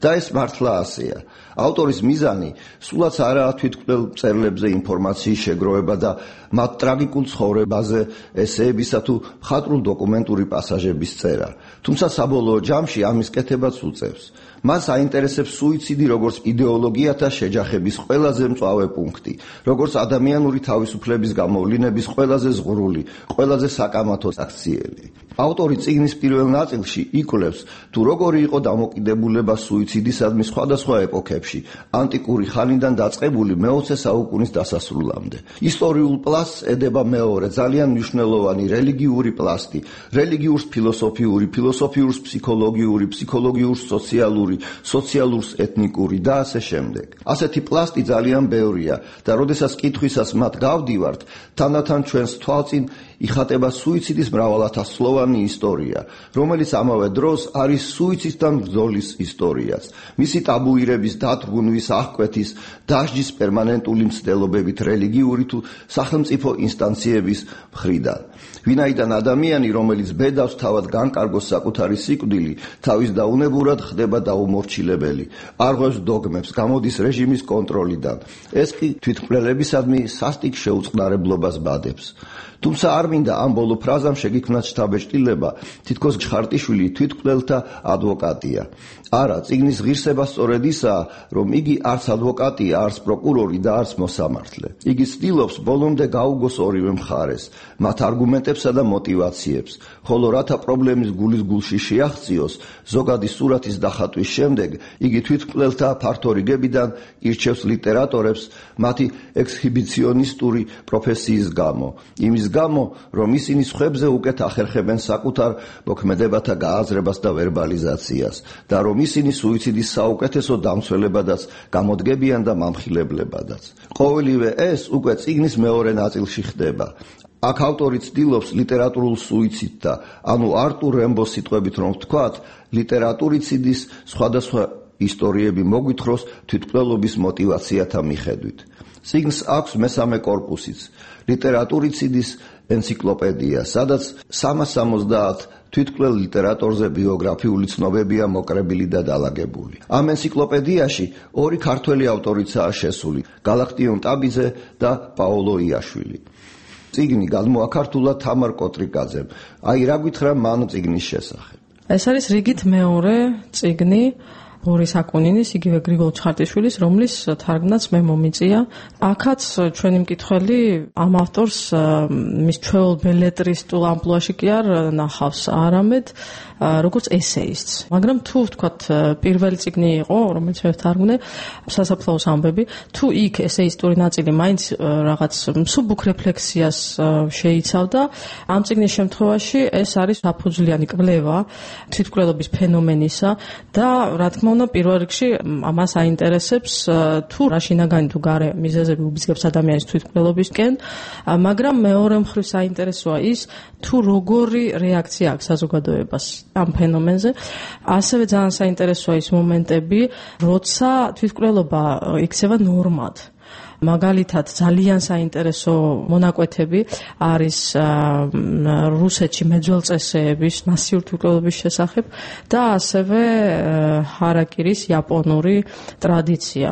და ეს მართლა ასეა. ავტორის მიზანი სულაც არაა თვითმკვლელ მწერლებზე ინფორმაციის შეგროვება და მათ ტრაგიკულ ცხოვრებაზე ესეებისა თუ მხატვრულ დოკუმენტური პასაჟების წერა. თუმცა საბოლოო ჯამში ამის კეთებაც უწევს. მას აინტერესებს სუიციდი როგორც იდეოლოგიათა შეჯახების ყველაზე მწვავე პუნქტი, როგორც ადამიანური თავისუფლების გამოვლინების ყველაზე ზღვრული, ყველაზე საკამათო აქციელი. ავტორი წიგნის პირველ ნაწილში იკვლევს, თუ როგორი იყო დამოკიდებულება სუიციდისადმი სხვადასხვა ეპოქებში, ანტიკური ხანიდან დაწყებული მეოცე საუკუნის დასასრულამდე. ისტორიულ პლასტს ედება მეორე ძალიან მნიშვნელოვანი რელიგიური პლასტი, რელიგიურს ფილოსოფიური, ფილოსოფიურს ფსიქოლოგიური, ფსიქოლოგიურს სოციალური, სოციალურს ეთნიკური და ასე შემდეგ. ასეთი პლასტი ძალიან ბევრია და როდესაც კითხვისას მათ გავდივართ, თანდათან ჩვენს თვალწინ იხატება სუიციდის მრავალათასწლოვანი ისტორია, რომელიც ამავე დროს არის სუიციდთან ბრძოლის ისტორიაც, მისი ტაბუირების დათრგუნვის, აღკვეთის, დასჯის პერმანენტული მცდელობებით რელიგიური თუ სახელმწიფო ინსტანციების მხრიდან. ვინაიდან ადამიანი, რომელიც ბედავს თავად განკარგოს საკუთარი სიკვდილი, თავის დაუნებურად ხდება დაუმორჩილებელი, არღვევს დოგმებს, გამოდის რეჟიმის კონტროლიდან. ეს კი თვითმკვლელებისადმი სასტიკ შეუწყნარებლობას ბადებს. თუმცა არ მინდა ამ ბოლო ფრაზამ შეგიქმნათ შთაბეჭდილება, თითქოს ხარტიშვილი თვითმკვლელთა ადვოკატია. არა, წიგნის ღირსება სწორედ ისაა, რომ იგი არც ადვოკატია, არც პროკურორი და არც მოსამართლე. იგი ცდილობს ბოლომდე გაუგოს ორივე მხარეს, მათ არგუმენტებსა და мотивაციებს, ხოლო რათა პრობლემის გულის გულში შეაღწიოს, ზოგადი სურათის დახატვის შემდეგ, იგი თვითმკვლელთა ფართო რიგებიდან ირჩევს ლიტერატორებს მათი ექსჰიბიციონისტური პროფესიის გამო, იმის გამო, რომ ისინი სხვებზე უკეთ ახერხებენ საკუთარ მოქმედებათა გააზრებას და ვერბალიზაციას და რომ ისინი სუიციდის საუკეთესო დამცველებადაც გამოდგებიან და მამხილებლებადაც. ყოველივე ეს უკვე წიგნის მეორე ნაწილში ხდება. აქ ავტორი ცდილობს ლიტერატურულ სუიციდთა, ანუ არტურ რემბოს სიტყვებით რომ ვთქვათ, ლიტერატურიციდის სხვადასხვა ისტორიები მოგვითხროს თვითმკვლელობის мотивაციათა მიხედვით. წიგნს აქვს მესამე კორპუსიც, ლიტერატურიციდის ენციკლოპედია, სადაც სამას სამოცდაათ თვითმკვლელ ლიტერატორზე ბიოგრაფიული ცნობებია მოკრებილი და დალაგებული. ამ ენციკლოპედიაში ორი ქართველი ავტორიცაა შესული, გალაქტიონ ტაბიძე და პაოლო იაშვილი. წიგნი გადმოაქართულა თამარ კოტრიკაძემ. აი რა გითხრა მან წიგნის შესახებ. ეს არის რიგით მეორე წიგნი ბორის აკუნინის, იგივე გრიგოლ ჩხარტიშვილის, რომლის თარგმნაც მე მომიწია. აქაც ჩვენი მკითხველი ამ ავტორს მის ჩვეულ ბელეტრისტულ ამპლუაში კი არ ნახავს, არამედ როგორც ესეისტს. მაგრამ თუ ვთქვათ პირველი წიგნი იყო, რომელიც მე ვთარგმნე, სასაფლაოს ამბები, თუ იქ ესეისტური ნაწილი მაინც რაღაც მსუბუქ რეფლექსიას შეიცავდა, ამ წიგნის შემთხვევაში ეს არის საფუძვლიანი კვლევა თვითმკვლელობის ფენომენისა და რა თქმა უნდა პირველ რიგში ამას აინტერესებს თუ რა შინაგანი თუ გარე მიზეზები უბიძგებს ადამიანის თვითმკვლელობისკენ, მაგრამ მეორე მხრივ საინტერესოა ის თუ როგორი რეაქცია აქვს საზოგადოებას ამ ფენომენზე. ასევე ძალიან საინტერესოა ის მომენტები, როცა თვითმკვლელობა იქცევა ნორმად. მაგალითად ძალიან საინტერესო მონაკვეთები არის რუსეთში მეძველწესეების მასიური თვითმკვლელობის შესახებ და ასევე ჰარაკირის იაპონური ტრადიცია.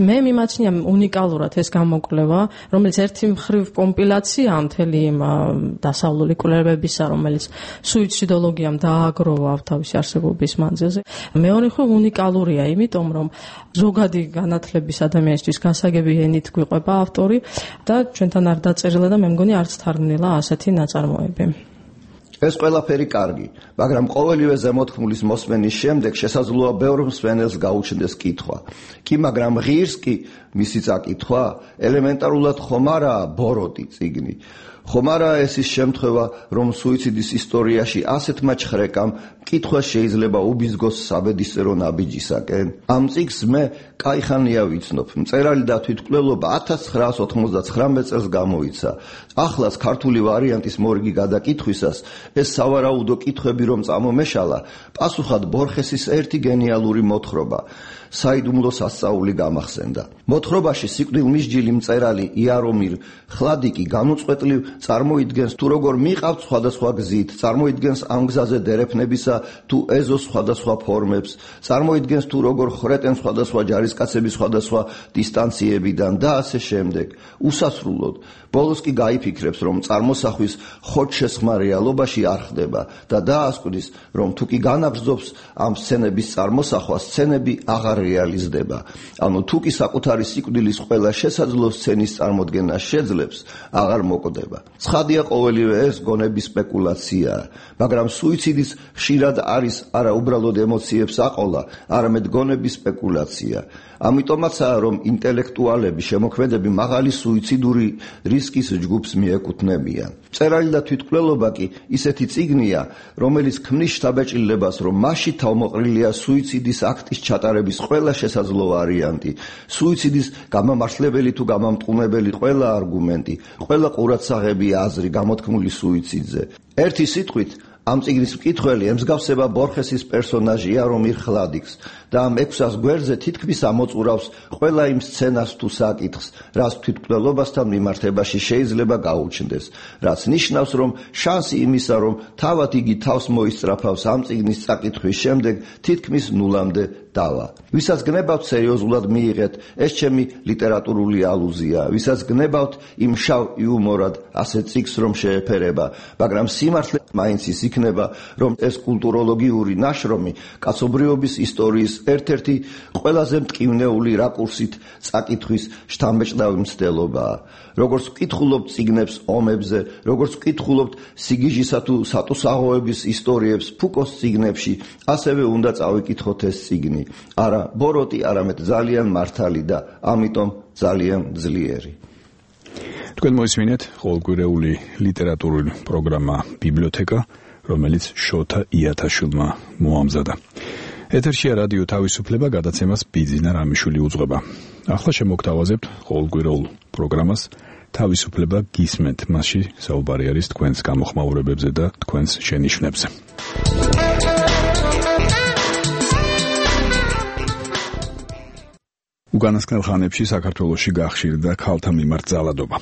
მე მიმაჩნია უნიკალურად ეს გამოკვლევა, რომელიც ერთი მხრივ კომპილაცია მთელი იმ დასავლური კვლევებისა, რომელიც სუიციდოლოგიამ დააგროვა თავისი არსებობის მანძილზე. მეორე მხრივ უნიკალურია, იმიტომ რომ ზოგადი განათლების ადამიანისთვის გასაგები ენით გვიყვება ავტორი და ჩვენთან არ დაწერილა და მე მგონი არც თარგმნილა ასეთი ნაწარმოები. ეს ყველაფერი კარგი, მაგრამ ყოველივე ზემოთქმულის მოსმენის შემდეგ შესაძლოა ბევრ მსმენელს გაუჩნდეს კითხვა. კი, მაგრამ ღირს კი მისი წაკითხვა ელემენტარულად ხომ არაა ბოროტი წიგნი. ხომ არაა ეს ის შემთხვევა, რომ სუიციდის ისტორიაში ასეთმა ჩხრეკამ კითხვა შეიძლება უბიძგოს საბედისწერო ნაბიჯისაკენ. ამ წიგნს მე კაიხანია ვიცნობ. მწერალი და თვითმკვლელობა ათას ცხრაას ოცდაათი წელს გამოიცა. ახლაც ქართული ვარიანტის მორიგი გადაკითხვისას ეს სავარაუდო კითხვები რომ წამომეშალა, პასუხად ბორხესის ერთი გენიალური მოთხრობა საიდუმლო სასწაული გამახსენდა. მოთხრობაში სიკვდილმისჯილი მწერალი იარომირ ხლადიკი განუწყვეტლივ წარმოიდგენს თუ როგორ მიყავთ სხვადასხვა გზით, წარმოიდგენს ამ გზაზე დერეფნებისა თუ ეზოს სხვადასხვა ფორმებს, წარმოიდგენს თუ როგორ ხრეტენ სხვადასხვა ჯარისკაცების სხვადასხვა დისტანციებიდან და ასე შემდეგ. უსასრულოდ ბოლოს კი გაიფიქრებს, რომ წარმოსახვის ხოჭ-შესხმა რეალობაში არ ხდება და დაასკვნის, რომ თუ კი განაგრძობს ამ სცენების წარმოსახვა, სცენები აღარ რეალიზდება. ანუ თუ კი საკუთარი სიკვდილის ყველა შესაძლო სცენის წარმოდგენა შეძლებს, აღარ მოკვდება. ცხადია ყოველივე ეს გონების სპეკულაციაა, მაგრამ სუიციდის ხშირად არის არა უბრალოდ ემოციებს აყოლა, არამედ გონების სპეკულაცია. ამიტომაცაა, რომ ინტელექტუალები, შემოქმედები მაღალი სუიციდური რისკის ჯგუფს მიეკუთვნებიან. მწერალი და თვითმკვლელობა კი ისეთი წიგნია, რომელიც ქმნის შთაბეჭდილებას, რომ მასში თავმოყრილია სუიციდის აქტის ჩატარების ყველა შესაძლო ვარიანტი, სუიციდის გამამართლებელი თუ გამამტყუნებელი ყველა არგუმენტი, ყველა ყურადსაღები აზრი გამოთქმული სუიციდზე. ერთი სიტყვით, ამ წიგნის მკითხველი ემსგავსება ბორხესის პერსონაჟია რომირ ხლადიკს და ამ ექვსას გვერდზე თითქმის ამოწურავს ყველა იმ სცენას თუ საკითხს, რაც თვითმკვლელობასთან მიმართებაში შეიძლება გაუჩნდეს, რაც ნიშნავს, რომ შანსი იმისა, რომ თავად იგი თავს მოისწრაფავს ამ წიგნის წაკითხვის შემდეგ, თითქმის ნულამდე დავა. ვისაც გნებავთ სერიოზულად მიიღეთ, ეს ჩემი ლიტერატურული ალუზია, ვისაც გნებავთ იმ შავ იუმორად ასეთ წიგნს რომ შეეფერება, მაგრამ სიმართლე მაინც ის იქნება, რომ ეს კულტუროლოგიური ნაშრომი კაცობრიობის ისტორიის ერთ-ერთი ყველაზე მტკივნეული რაკურსით წაკითხვის შთამბეჭდავი მცდელობაა. როგორც ვკითხულობთ წიგნებს ომებზე, როგორც ვკითხულობთ სიგიჟისა თუ სატუსაღოების ისტორიებს ფუკოს წიგნებში, ასევე უნდა წავიკითხოთ ეს წიგნი. არა ბოროტი, არამედ ძალიან მართალი და ამიტომ ძალიან ძლიერი. თქვენ მოისმინეთ ყოველკვირეული ლიტერატურული პროგრამა ბიბლიოთეკა, რომელიც შოთა იათაშვილმა მოამზადა. ეთერშია რადიო თავისუფლება, გადაცემას ბიძინა რამიშვილი უძღვება. ახლა შემოგთავაზებთ ყოველკვირეულ პროგრამას თავისუფლება გისმენთ, მასში საუბარი არის თქვენს გამოხმაურებებზე და თქვენს შენიშვნებზე. უკანასკნელ ხანებში საქართველოში გახშირდა ქალთა მიმართ ძალადობა.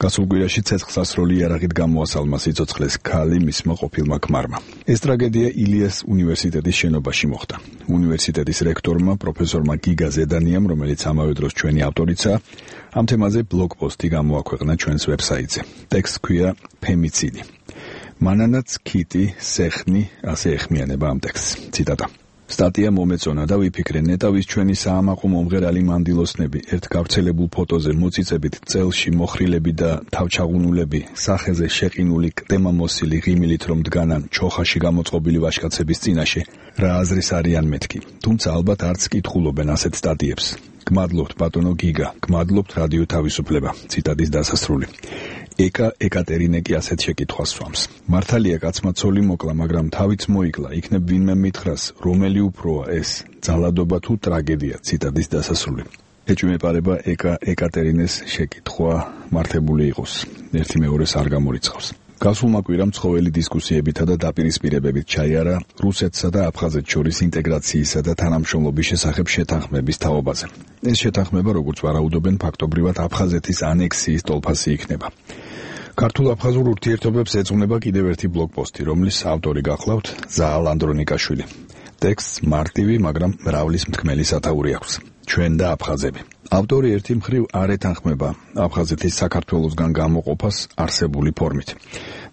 გასულ კვირაში ცეცხლსასროლი იარაღით გამოასალმა სიცოცხლეს ქალი მისმა ყოფილმა ქმარმა. ეს ტრაგედია ილიას უნივერსიტეტის შენობაში მოხდა. უნივერსიტეტის რექტორმა პროფესორმა გიგა ზედანიამ, რომელიც ამავე დროს ჩვენი ავტორიცაა, ამ თემაზე ბლოგპოსტი გამოაქვეყნა ჩვენს ვებსაიტზე. ტექსტს ჰქვია ფემიციდი. მანანაც ქიტი სეხნი ასე ეხმიანება ამ ტექსტს. ციტატა. სტატია მომეწონა და ვიფიქრე, ნეტავის ჩვენი საამაყო მომღერალი მანდილოსნები ერთ გავრცელებულ ფოტოზე მოწიწებით წელში მოხრილები და თავჩაღუნულები სახეზე შეყინული კტემამოსილი ღიმილით რომ დგანან ჩოხაში გამოწყობილი ვაჟკაცების წინაშე, რა აზრის არიან მეთქი. თუმცა ალბათ არც კითხულობენ ასეთ სტატიებს. გმადლობთ ბატონო გიგა, გმადლობთ რადიო თავისუფლება. ციტატის დასასრული. ეკა ეკატერინე კი ასეთ შეკითხვას სვამს. მართალია კაცმა ცოლი მოკლა, მაგრამ თავიც მოიკლა, იქნებ ვინმე მითხრას, რომელი უფროა ეს, ძალადობა თუ ტრაგედია. ციტატის დასასრული. ეჭვმეპარება ეკა ეკატერინეს შეკითხვა მართებული იყოს. ერთი მეორეს არ გამორიცხავს. გასულმა კვირამ ცხოველი დისკუსიებითა და დაპირისპირებებით ჩაიარა რუსეთსა და აფხაზეთს შორის ინტეგრაციისა და თანამშრომლობის შესახებ შეთანხმების თაობაზე. ეს შეთანხმება, როგორც ვარაუდობენ, ფაქტობრივად აფხაზეთის ანექსიის ტოლფასი იქნება. ქართულ-აფხაზურ ურთიერთობებს ეძღვნება კიდევ ერთი ბლოგპოსტი, რომლის ავტორი გახლავთ ზაალ ანდრონიკაშვილი. ტექსტს მარტივი, მაგრამ მრავლის მთქმელი სათაური აქვს. ჩვენ და აფხაზები. ავტორი ერთი მხრივ არ ეთანხმება აფხაზეთის საქართველოსგან გამოყოფას არსებული ფორმით,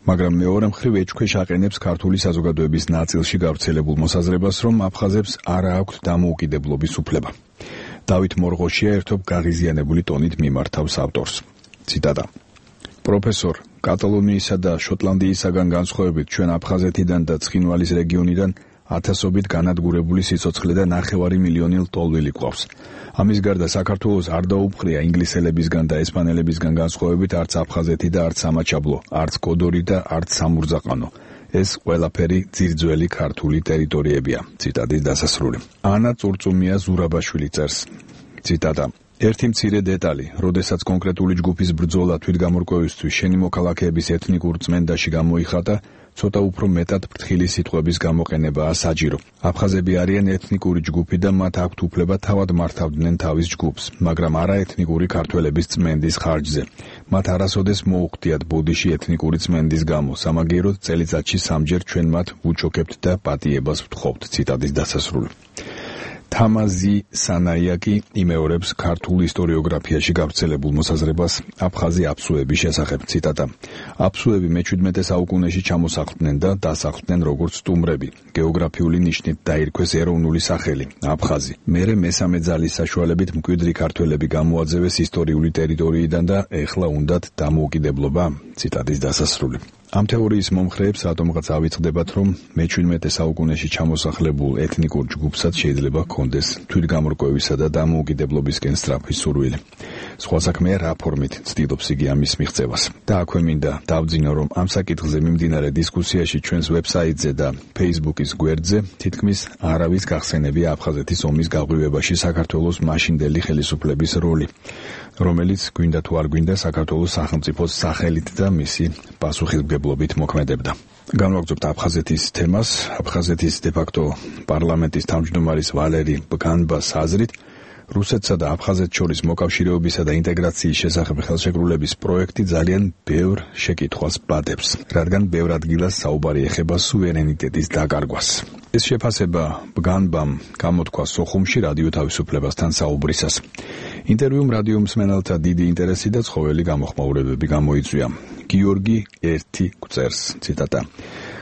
მაგრამ მეორე მხრივ ეჭქვეშ აყენებს ქართული საზოგადოების ნაწილში გავრცელებულ მოსაზრებას, რომ აფხაზებს არ აქვთ დამოუკიდებლობის უფლება. დავით მორღოშია ერთობ გაღიზიანებული ტონით მიმართავს ავტორს. ციტატა. პროფესორ, კატალონიისა და შოტლანდიისაგან განსხვავებით ჩვენ აფხაზეთიდან და ცხინვალის რეგიონიდან ათასობით განადგურებული სიცოცხლე და ნახევარი მილიონი ლტოლვილი გვყავს. ამის გარდა საქართველოს არ დაუფხრია ინგლისელებისგან და ესპანელებისგან განსხვავებით არც აფხაზეთი და არც სამაჩაბლო, არც კოდორი და არც სამურზაყანო. ეს ყველაფერი ძირძველი ქართული ტერიტორიებია. ციტატის დასასრული. ანა წურწუმია ზურაბაშვილი წერს. ციტატა. ერთი მცირე დეტალი, როდესაც კონკრეტული ჯგუფის ბრძოლა თვითგამორკვევისთვის შენი მოქალაქეების ეთნიკურ წმენდაში გამოიხატა, ცოტა უფრო მეტად ფრთხილი სიტყვების გამოყენებაა საჭირო. აფხაზები არიან ეთნიკური ჯგუფი და მათ აქვთ უფლება თავად მართავდნენ თავის ჯგუფს, მაგრამ არა ეთნიკური ქართველების წმენდის ხარჯზე. მათ არასოდეს მოუხდიათ ბოდიში ეთნიკური წმენდის გამო, სამაგიეროდ წელიწადში სამჯერ ჩვენ მათ ვუჩოქებთ და პატიებას ვთხოვთ. ციტატის დასასრული. თამაზი სანაიაკი იმეორებს ქართულ ისტორიოგრაფიაში გავრცელებულ მოსაზრებას აფხაზი აფსუების შესახებ. ციტატა: აფსუები მეჩვიდმეტე საუკუნეში ჩამოსახლდნენ და დასახლდნენ როგორც სტუმრები. გეოგრაფიული ნიშნით დაირქვეს ეროვნული სახელი აფხაზი. მერე მესამე ძალის საშუალებით მკვიდრი ქართველები გამოაძევეს ისტორიული ტერიტორიიდან და ეხლა უნდათ დამოუკიდებლობა. ციტატის დასასრული. ამ თეორიის მომხრეებს რატომღაც ავიწყდებათ, რომ მეჩვიდმეტე საუკუნეში ჩამოსახლებულ ეთნიკურ ჯგუფსაც შეიძლება ჰქონდეს თვითგამორკვევისა და დამოუკიდებლობისკენ სწრაფი სურვილი. სხვა საქმეა, რა ფორმით ცდილობს იგი ამის მიღწევას. და აქვე მინდა დავძინო, რომ ამ საკითხზე მიმდინარე დისკუსიაში ჩვენს ვებსაიტზე და Facebook-ის გვერდზე თითქმის არავის გახსენებია აფხაზეთის ომის გაღვივებაში საქართველოს მაშინდელი ხელისუფლების როლი, რომელიც გვინდა თუ არ გვინდა საქართველოს სახელმწიფოს სახელით და მისი პასუხისმგებლობით მოქმედებდა. განვაგრძობთ აფხაზეთის თემას. აფხაზეთის დე-ფაქტო პარლამენტის თავმჯდომარის ვალერი ბგანბას აზრით, რუსეთსა და აფხაზეთს შორის მოკავშირეობისა და ინტეგრაციის შესახებ ხელშეკრულების პროექტი ძალიან ბევრ შეკითხვას ბადებს, რადგან ბევრ ადგილას საუბარი ეხება სუვერენიტეტის დაკარგვას. ეს შეფასება ბგანბამ გამოთქვა სოხუმში რადიო თავისუფლებასთან საუბრისას. ინტერვიუმ რადიო მსმენელთა დიდი ინტერესი და ცხოველი გამოხმაურებები გამოიწვია. გიორგი ერთი გვწერს, ციტატა: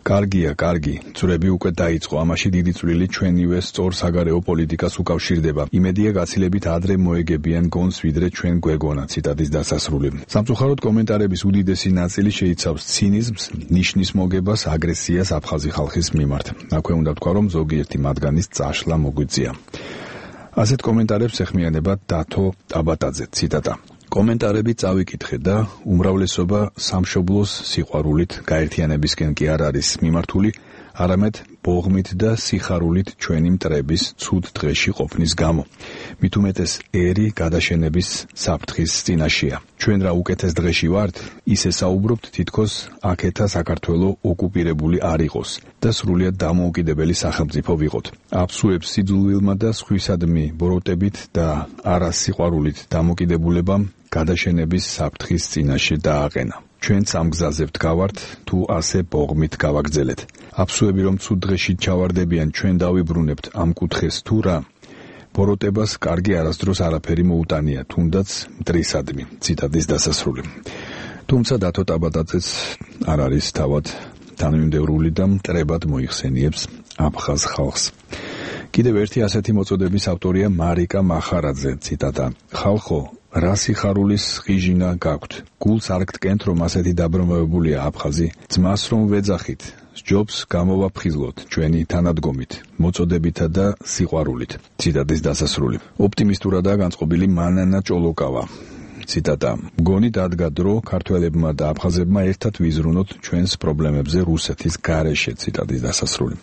კარგია, კარგი, ძვრები უკვე დაიწყო, ამაში დიდი წვლილი ჩვენივე სწორ საგარეო პოლიტიკას უკავშირდება. იმედია გაცილებით ადრე მოეგებიან გონს, ვიდრე ჩვენ გვეგონა. ციტატის დასასრული. სამწუხაროდ კომენტარების უდიდესი ნაწილი შეიცავს ცინიზმს, ნიშნის მოგებას, აგრესიას აფხაზი ხალხის მიმართ. აქვე უნდა ვთქვა, რომ ზოგიერთი მათგანის წაშლა მოგვიწია. ასეთ კომენტარებს ეხმიანება დათო ტაბატაძე. ციტატა: კომენტარები წავიკითხე და უმრავლესობა სამშობლოს სიყვარულით, გაერთიანებისკენ კი არ არის მიმართული, არამედ ბოღმით და სიხარულით ჩვენი მტრების ცუდ დღეში ყოფნის გამო. მით უმეტეს ერი გადაშენების საფრთხის წინაშეა. ჩვენ რა უკეთეს დღეში ვართ, ისე საუბრობთ, თითქოს აქეთა საქართველო ოკუპირებული არ იყოს და სრულიად დამოუკიდებელი სახელმწიფო ვიყოთ. აფსუებს სიძულვილმა და სხვისადმი ბოროტებით და არა სიყვარულით დამოკიდებულებამ გადაშენების საფრთხის წინაშე დააყენა. ჩვენც ამ გზაზე ვდგავართ, თუ ასე ბოღმით გავაგრძელეთ. აფსუები რომ ცუდ დღეში ჩავარდებიან, ჩვენ დავიბრუნებთ ამ კუთხეს თუ რა? ბოროტებას კარგი არასდროს არაფერი მოუტანია, თუნდაც მტრისადმი. ციტატის დასასრული. თუმცა დათო ტაბატაძეც არ არის თავად თანმიმდევრული და მტრებად მოიხსენიებს აფხაზ ხალხს. კიდევ ერთი ასეთი მოწოდების ავტორია მარიკა მახარაძე. ციტატა: ხალხო, რა სიხარულის ღიჟინა გაქვთ? გულს არ გტკენთ, რომ ასეთი დაბრუნებებულია აფხაზი? ძმას რომ ვეძახით, სჯობს გამოვაფხიზლოთ ჩვენი თანადგომით, მოწოდებითა და სიყვარულით. ციტატის დასასრული. ოპტიმისტურადაა განწყობილი მანანა ჭოლოკავა. ციტატა: მგონი დადგა დრო ქართველებმა და აფხაზებმა ერთად ვიზრუნოთ ჩვენს პრობლემებზე რუსეთის გარეშე. ციტატის დასასრული.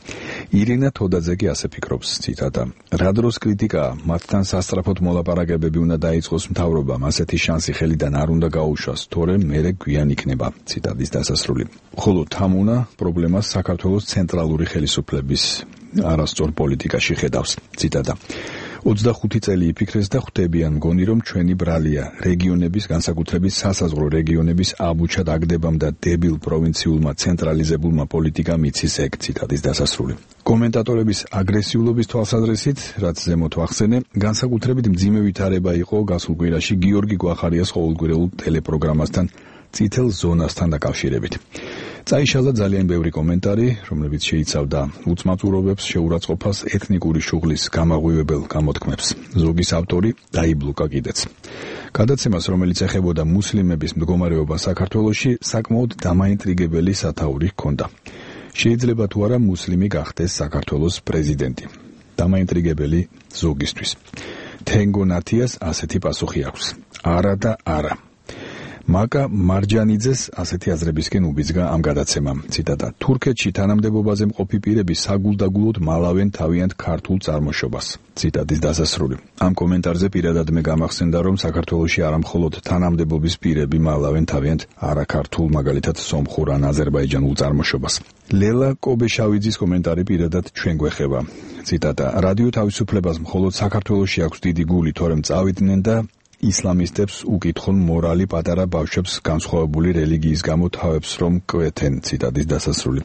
ირინა თოდაძე კი ასე ფიქრობს. ციტატა: რა დროს კრიტიკაა, მათთან სასწრაფოდ მოლაპარაკებები უნდა დაიწყოს მთავრობამ, ასეთი შანსი ხელიდან არ უნდა გაუშვას, თორემ მერე გვიან იქნება. ციტატის დასასრული. ხოლო თამუნა პრობლემას საქართველოს ცენტრალური ხელისუფლების არასწორ პოლიტიკაში ხედავს. ციტატა: ოცდახუთი წელი იფიქრეს და ხვდებიან, მგონი რომ ჩვენი ბრალია რეგიონების, განსაკუთრებით სასაზღვრო რეგიონების აბუჩა დაგდებამ და დებილ პროვინციულმა ცენტრალიზებულმა პოლიტიკამ იცის ეგ. ციტატის დასასრული. კომენტატორების აგრესიულობის თვალსაზრისით, რაც ზემოთ ვახსენე, განსაკუთრებით მძიმე ვითარება იყო გასულ კვირაში გიორგი გვახარიას ყოველკვირეულ ტელეპროგრამასთან წითელ ზონასთან დაკავშირებით. წაიშალა ძალიან ბევრი კომენტარი, რომლებიც შეიცავდა უწმაწურობებს, შეურაცხყოფას, ეთნიკური შუღლის გამაღვივებელ გამოთქმებს. ზოგის ავტორი დაიბლოკა კიდეც. გადაცემას, რომელიც ეხებოდა მუსლიმების მდგომარეობა საქართველოში, საკმაოდ დამაინტრიგებელი სათაური ჰქონდა. შეიძლება თუ არა მუსლიმი გახდეს საქართველოს პრეზიდენტი. დამაინტრიგებელი ზოგისთვის. თენგო ნათიას ასეთი პასუხი აქვს: არა და არა. მაკა მარჯანიძეს ასეთი აზრებისკენ უბიძგა ამ გადაცემამ. ციტატა: თურქეთში თანამდებობაზე მყოფი პირები საგულდაგულოდ მალავენ თავიანთ ქართულ წარმოშობას. ციტატის დასასრული. ამ კომენტარზე პირადად მე გამახსენდა, რომ საქართველოში არა მხოლოდ თანამდებობის პირები მალავენ თავიანთ არაქართულ, მაგალითად სომხურ ან აზერბაიჯანულ წარმოშობას. ლელა კობეშავიძის კომენტარი პირადად ჩვენ გვეხება. ციტატა: რადიო თავისუფლებას მხოლოდ საქართველოში აქვს დიდი გული, თორემ წავიდნენ და ისლამისტებს უკითხონ მორალი პატარა ბავშვებს განსხვავებული რელიგიის გამო თავებს რომ კვეთენ. ციტატის დასასრული.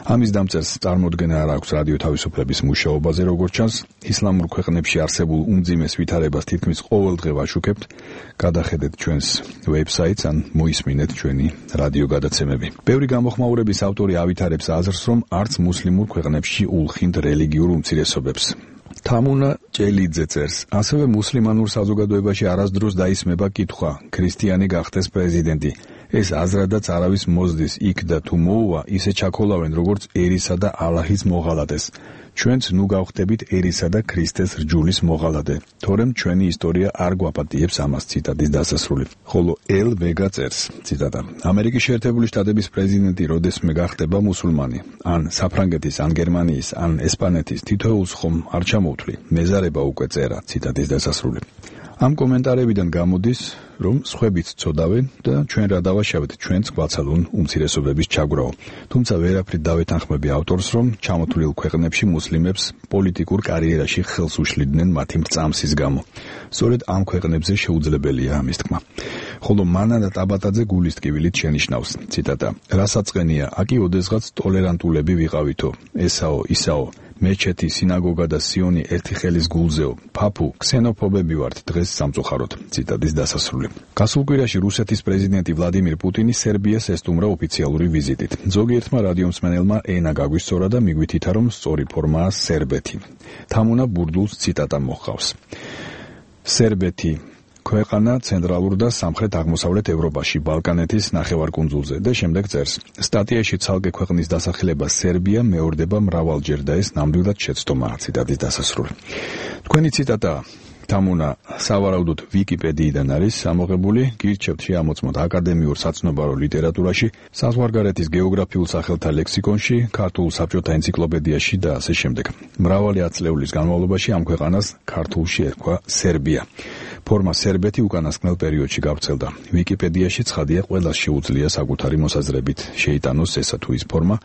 ამის დამწერს წარმოდგენა არ აქვს რადიო თავისუფლების მუშაობაზე, როგორც ჩანს, ისლამურ ქვეყნებში არსებულ უმძიმეს ვითარებას თითქმის ყოველდღე ვაშუქებთ. გადახედეთ ჩვენს ვებსაიტს ან მოისმინეთ ჩვენი რადიო გადაცემები. ბევრი გამოხმაურების ავტორი ავითარებს აზრს, რომ არც მუსლიმურ ქვეყნებში ულხინდ რელიგიურ უმცირესობებს. თამუნა ჭელიძე წერს, ასევე მუსლიმანურ საზოგადოებაში არასდროს დაისმება კითხვა, ქრისტიანი გახდეს პრეზიდენტი. ეს აზრადაც არავის მოზდის, იქ და თუ მოუვა, ისე ჩაქოლავენ, როგორც ერისა და ალაჰის მოღალატეს. ჩვენც ნუ გავხდებით ერისა და ქრისტეს რჯულის მოღალატე, თორემ ჩვენი ისტორია არ გვაპატიებს ამას. ციტატის დასასრული. ხოლო ელ ვეგა წერს, ციტატა, ამერიკის შეერთებული შტატების პრეზიდენტი როდესმე გახდება მუსულმანი, ან საფრანგეთის, ან გერმანიის, ან ესპანეთის, თითოეულს ხომ არ ჩამოვთვლი, მეზარება უკვე წერა. ციტატის დასასრული. ამ კომენტარებიდან გამოდის, რომ სხვებიც ცოდავენ და ჩვენ რა დავაშავეთ, ჩვენც გვაცალონ უმცირესობების ჩაგვრაო. თუმცა ვერაფრით დავეთანხმები ავტორს, რომ ჩამოთვლილ ქვეყნებში მუსლიმებს პოლიტიკურ კარიერაში ხელს უშლიდნენ მათი მრწამსის გამო. სწორედ ამ ქვეყნებზე შეუძლებელია ამის თქმა. ხოლო მანანა ტაბატაძე გულის ტკივილით შენიშნავს, ციტატა, რასაწყენია, აკი ოდესღაც ტოლერანტულები ვიყავითო, ესაო, ისაო, მეჩეთი, სინაგოგა და სიონი ერთი ხელის გულზეო, ფაფუ, ქსენოფობები ვართ დღეს სამწუხაროდ. ციტატის დასასრული. გასულ კვირაში რუსეთის პრეზიდენტი ვლადიმირ პუტინი სერბიას ესტუმრა ოფიციალური ვიზიტით. ზოგიერთმა რადიომსმენელმა ენა გაგვისწორა და მიგვითითა, რომ სწორი ფორმაა სერბეთი. თამუნა ბურდულს ციტატა მოჰყავს. სერბეთი ქვეყანა ცენტრალურ და სამხრეთ-აღმოსავლეთ ევროპაში, ბალკანეთის ნახევარკუნძულზე და შემდეგ წერს. სტატიაში ცალკე ქვეყნის დასახელება სერბია მეორდება მრავალჯერ და ეს ნამდვილად შეცდომაა. ციტატის დასასრული. თქვენი ციტატა თამუნა სავარაუდოდ ვიკიპედიიდან არის ამოღებული, გირჩევთ შეამოწმოთ აკადემიურ საცნობარო ლიტერატურაში, საზღვარგარეთის გეოგრაფიულ სახელთა ლექსიკონში, ქართულ საბჭოთა ენციკლოპედიაში და ასე შემდეგ. მრავალი ათწლეულის განმავლობაში ამ ქვეყანას ქართულში ერქვა სერბია. ფორმა სერბეთი უკანასკნელ პერიოდში გავრცელდა. ვიკიპედიაში ცხადია, ყველას შეუძლია საკუთარი მოსაზრებით შეიტანოს ესა თუ ის ფორმა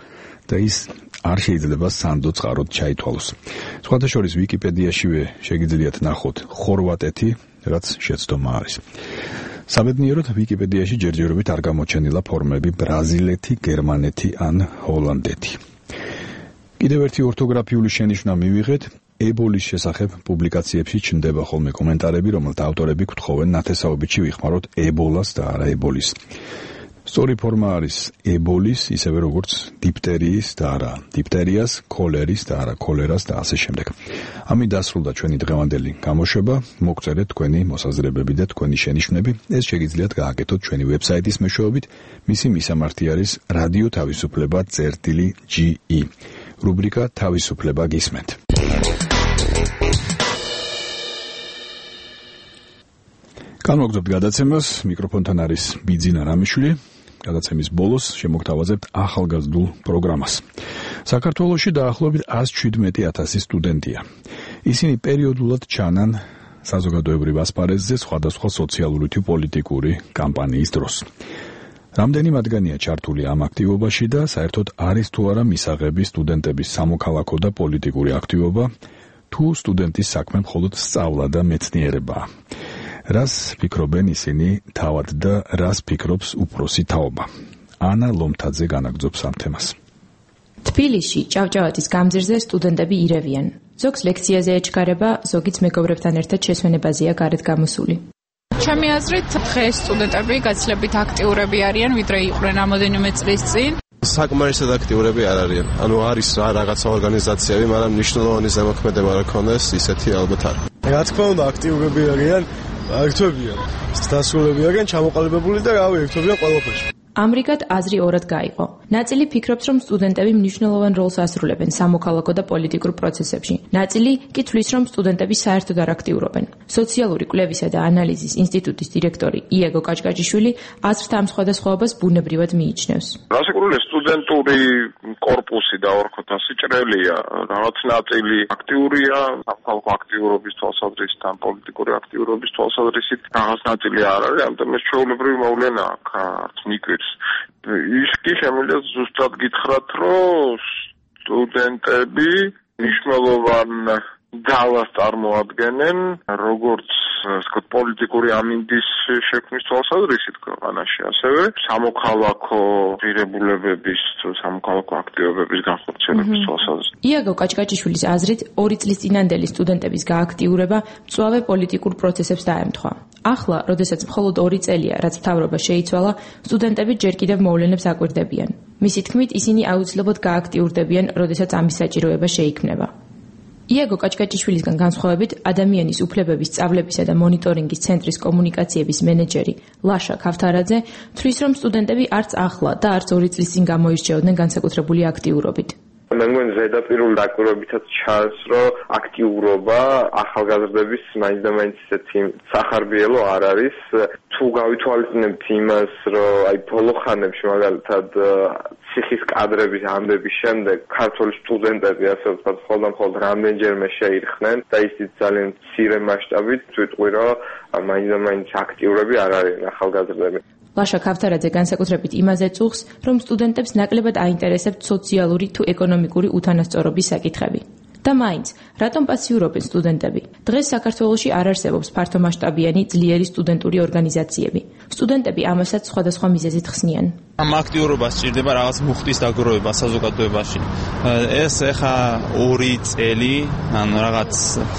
და ის არ შეიძლება სანდო წყაროდ ჩაითვალოს. სხვათა შორის ვიკიპედიაშივე შეგიძლიათ ნახოთ ხორვატეთი, რაც შეცდომა არის. საბედნიეროდ ვიკიპედიაში ჯერჯერობით არ გამოჩენილა ფორმები ბრაზილეთი, გერმანეთი ან ჰოლანდეთი. კიდევ ერთი ორთოგრაფიული შენიშვნა მივიღეთ. ებოლის შესახებ პუბლიკაციებში ჩნდება ხოლმე კომენტარები, რომელთა ავტორები გვთხოვენ ნათესაობითში ვიხმაროთ ებოლას და არა ებოლის. სწორი ფორმა არის ებოლის, ისევე როგორც დიფტერიის და არა დიფტერიას, ქოლერის და არა ქოლერას და ასე შემდეგ. ამით დასრულდა ჩვენი დღევანდელი გამოშვება. მოგწერეთ თქვენი მოსაზრებები და თქვენი შენიშვნები. ეს შეგიძლიათ გააკეთოთ ჩვენი ვებსაიტის მეშვეობით. მისი მისამართი არის რადიო თავისუფლება წერტილი ჯი ი. რუბრიკა თავისუფლება გისმენთ. განვაგრძობთ გადაცემას, მიკროფონთან არის ბიძინა რამიშვილი. გადაცემის ბოლოს შემოგთავაზებთ ახალგაზრდულ პროგრამას. საქართველოში დაახლოებით ას შვიდმეტი ათასი სტუდენტია. ისინი პერიოდულად ჩანან საზოგადოებრივ ასპარეზზე სხვადასხვა სოციალური თუ პოლიტიკური კამპანიის დროს. რამდენი მათგანია ჩართული ამ აქტივობაში და საერთოდ არის თუ არა მისაღები სტუდენტების სამოქალაქო და პოლიტიკური აქტივობა, თუ სტუდენტის საქმე მხოლოდ სწავლა და მეცნიერებაა. რას ფიქრობენ ისინი თავად და რას ფიქრობს უფროსი თაობა? ანა ლომთაძე განაგრძობს ამ თემას. თბილისში ჭავჭავაძის გამზირზე სტუდენტები ირევიან. ზოგს ლექციაზე ეჩქარება, ზოგიც მეგობრებთან ერთად შესვენებაზეა გარეთ გამოსული. ჩემი აზრით, დღეს სტუდენტები გაცილებით აქტიურები არიან, ვიდრე იყვნენ რამოდენიმე წლის წინ. საკმარისად აქტიურები არ არიან. ანუ არის რაღაცა ორგანიზაციები, მაგრამ მნიშვნელოვანი ზემოქმედება რა ქონდეს, ისეთი ალბათ არ. რა თქმა უნდა, აქტიურები არიან, ერთვებიან. დასრულები არიან ჩამოყალიბებული და რავი, ერთვებიან ყველაფერში. ამრიგად აზრი ორად გაიყო. ნაწილი ფიქრობს, რომ სტუდენტები მნიშვნელოვან როლს ასრულებენ სამოქალაქო და პოლიტიკურ პროცესებში. ნაწილი კი თვლის, რომ სტუდენტები საერთოდ არ აქტიურობენ. სოციალური კვლევისა და ანალიზის ინსტიტუტის დირექტორი იეგო კაჭკაჭიშვილი აზრთა ამ სხვადასხვაობას ბუნებრივად მიიჩნევს. რასაკვირველია, სტუდენტური კორპუსი და ორქოთ ასიჭრელია, რაღაც ნაწილი აქტიურია, სამოქალაქო აქტიურობის თვალსაზრისით, ან პოლიტიკური აქტიურობის თვალსაზრისით, რაღაც ნაწილი არ არის, ამიტომ ეს ჩვეულებრივი მოვლენა აქ არც მიკვირს. ის კი შემიძლია ზუსტად გითხრათ, რომ სტუდენტები მნიშვნელოვან ძალას წარმოადგენენ, როგორც ვთქვათ, პოლიტიკური ამინდის შექმნის თვალსაზრისით ქვეყანაში, ასევე სამოქალაქო ღირებულებების, სამოქალაქო აქტივობების განხორციელების თვალსაზრისით. იაგო კაჭკაჭიშვილის აზრით, ორი წლის წინანდელი სტუდენტების გააქტიურება მწვავე პოლიტიკურ პროცესებს დაემთხვა. ახლა, როდესაც მხოლოდ ორი წელია, რაც მთავრობა შეიცვალა, სტუდენტები ჯერ კიდევ მოვლენებს აკვირდებიან. მისი თქმით, ისინი აუცილებლად გააქტიურდებიან, როდესაც ამის საჭიროება შეიქმნება. იაგო კაჭკაჭიშვილისგან განსხვავებით, ადამიანის უფლებების სწავლებისა და მონიტორინგის ცენტრის კომუნიკაციების მენეჯერი ლაშა ქავთარაძე თვლის, რომ სტუდენტები არც ახლა და არც ორი წლის წინ გამოირჩეოდნენ განსაკუთრებული აქტიურობით. მე მგონი ზედაპირული დაკვირვებითაც ჩანს, რომ აქტიურობა ახალგაზრდების მაინც და მაინც ისეთი სახარბიელო არ არის. თუ გავითვალისწინებთ იმას, რომ აი ბოლო ხანებში მაგალითად ციხის კადრების ამდების შემდეგ ქართული სტუდენტები ასე ვთქვათ, მხოლოდ და მხოლოდ რამდენჯერმე შეირხნენ და ისიც ძალიან მცირე მასშტაბით ვიტყვი, რომ მაინც და მაინც აქტიურები არ არიან ახალგაზრდები. ლაშა ქავთარაძე განსაკუთრებით იმაზე წუხს, რომ სტუდენტებს ნაკლებად აინტერესებთ სოციალური თუ ეკონომიკური უთანასწორობის საკითხები. და მაინც, რატომ პასიურობენ სტუდენტები? დღეს საქართველოში არ არსებობს ფართომასშტაბიანი ძლიერი სტუდენტური ორგანიზაციები. სტუდენტები ამასაც სხვადასხვა მიზეზით ხსნიან. ამ აქტიურობას სჭირდება რაღაც მუხტის დაგროვება საზოგადოებაში. ეს ეხა ორი წელი, ანუ რაღაც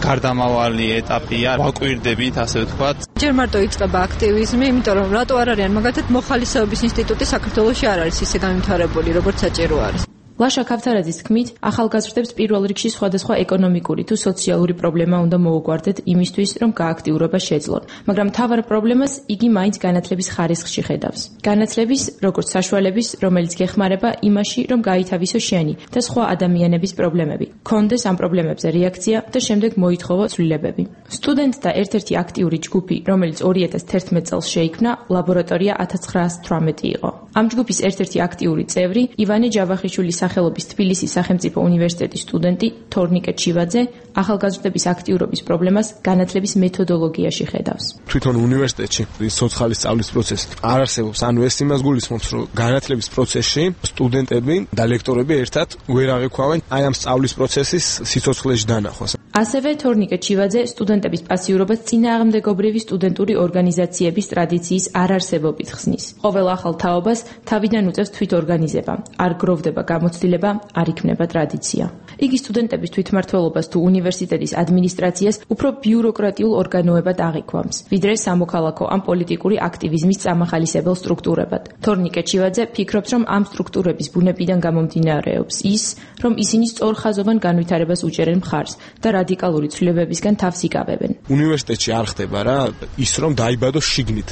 გარდამავალი ეტაპია, ვაკვირდებით, ასე ვთქვათ. ჯერ მარტო იწყება აქტივიზმი, იმიტომ რომ რატო არ არის, მაგალითად მოხალისეობის ინსტიტუტი საქართველოში არ არის ისე განვითარებული, როგორც საჭირო არის. ლაშა ქავთარაძის თქმით, ახალგაზრდებს პირველ რიგში სხვადასხვა ეკონომიკური თუ სოციალური პრობლემა უნდა მოუგვარდეთ იმისთვის, რომ გააქტიურება შეძლონ. მაგრამ მთავარ პრობლემას იგი მაინც განათლების ხარისხში ხედავს. განათლების, როგორც საშუალების, რომელიც გეხმარება იმაში, რომ გაითავისო შენი და სხვა ადამიანების პრობლემები, კონდეს ამ პრობლემებზე რეაქცია და შემდეგ მოითხოვო ცვლილებები. სტუდენტთა ერთ-ერთი აქტიური ჯგუფი, რომელიც ორი ათას თერთმეტ წელს შეიქმნა, ლაბორატორია ათას ცხრაასი თვრამეტი იყო. ამ ჯგუფის ერთ-ერთი აქტიური წევრი ივანე ჯავახიშვილის სახელობის თბილისის სახელმწიფო უნივერსიტეტის სტუდენტი თორნიკე ჩივაძე ახალგაზრდების აქტიურობის პრობლემას განათლების მეთოდოლოგიაში ხედავს. თვითონ უნივერსიტეტში სოციალური სწავლის პროცესი არ არსებობს, ანუ ეს იმას გულისხმობს, რომ განათლების პროცესში სტუდენტები და ლექტორები ერთად ვერ აღიქვავენ აი ამ სწავლის პროცესის სიცოცხლეში დანახვას. ასევე თორნიკე ჩივაძე სტუდენტების პასიურობას წინააღმდეგობრივი სტუდენტური ორგანიზაციების ტრადიციის არარსებობით ხსნის. ყოველ ახალ თაობას თავიდან უწევს თვითორგანიზება, არ გროვდება გამოცდილება, არ იქნება ტრადიცია. იგი სტუდენტების თვითმმართველობას თუ უნივერსიტეტის ადმინისტრაციას უფრო ბიუროკრატიულ ორგანოებად აღიქვამს, ვიდრე სამოქალაქო ან პოლიტიკური აქტივიზმის წამახალისებელ სტრუქტურებად. თორნიკე ჩივაძე ფიქრობს, რომ ამ სტრუქტურების ბუნებიდან გამომდინარეობს ის, რომ ისინი სწორხაზოვან განვითარებას უჭერენ მხარს და რადიკალური ცვლილებებისგან თავს იკავებენ. უნივერსიტეტში არ ხდება რა ის, რომ დაიბადოს შიგნით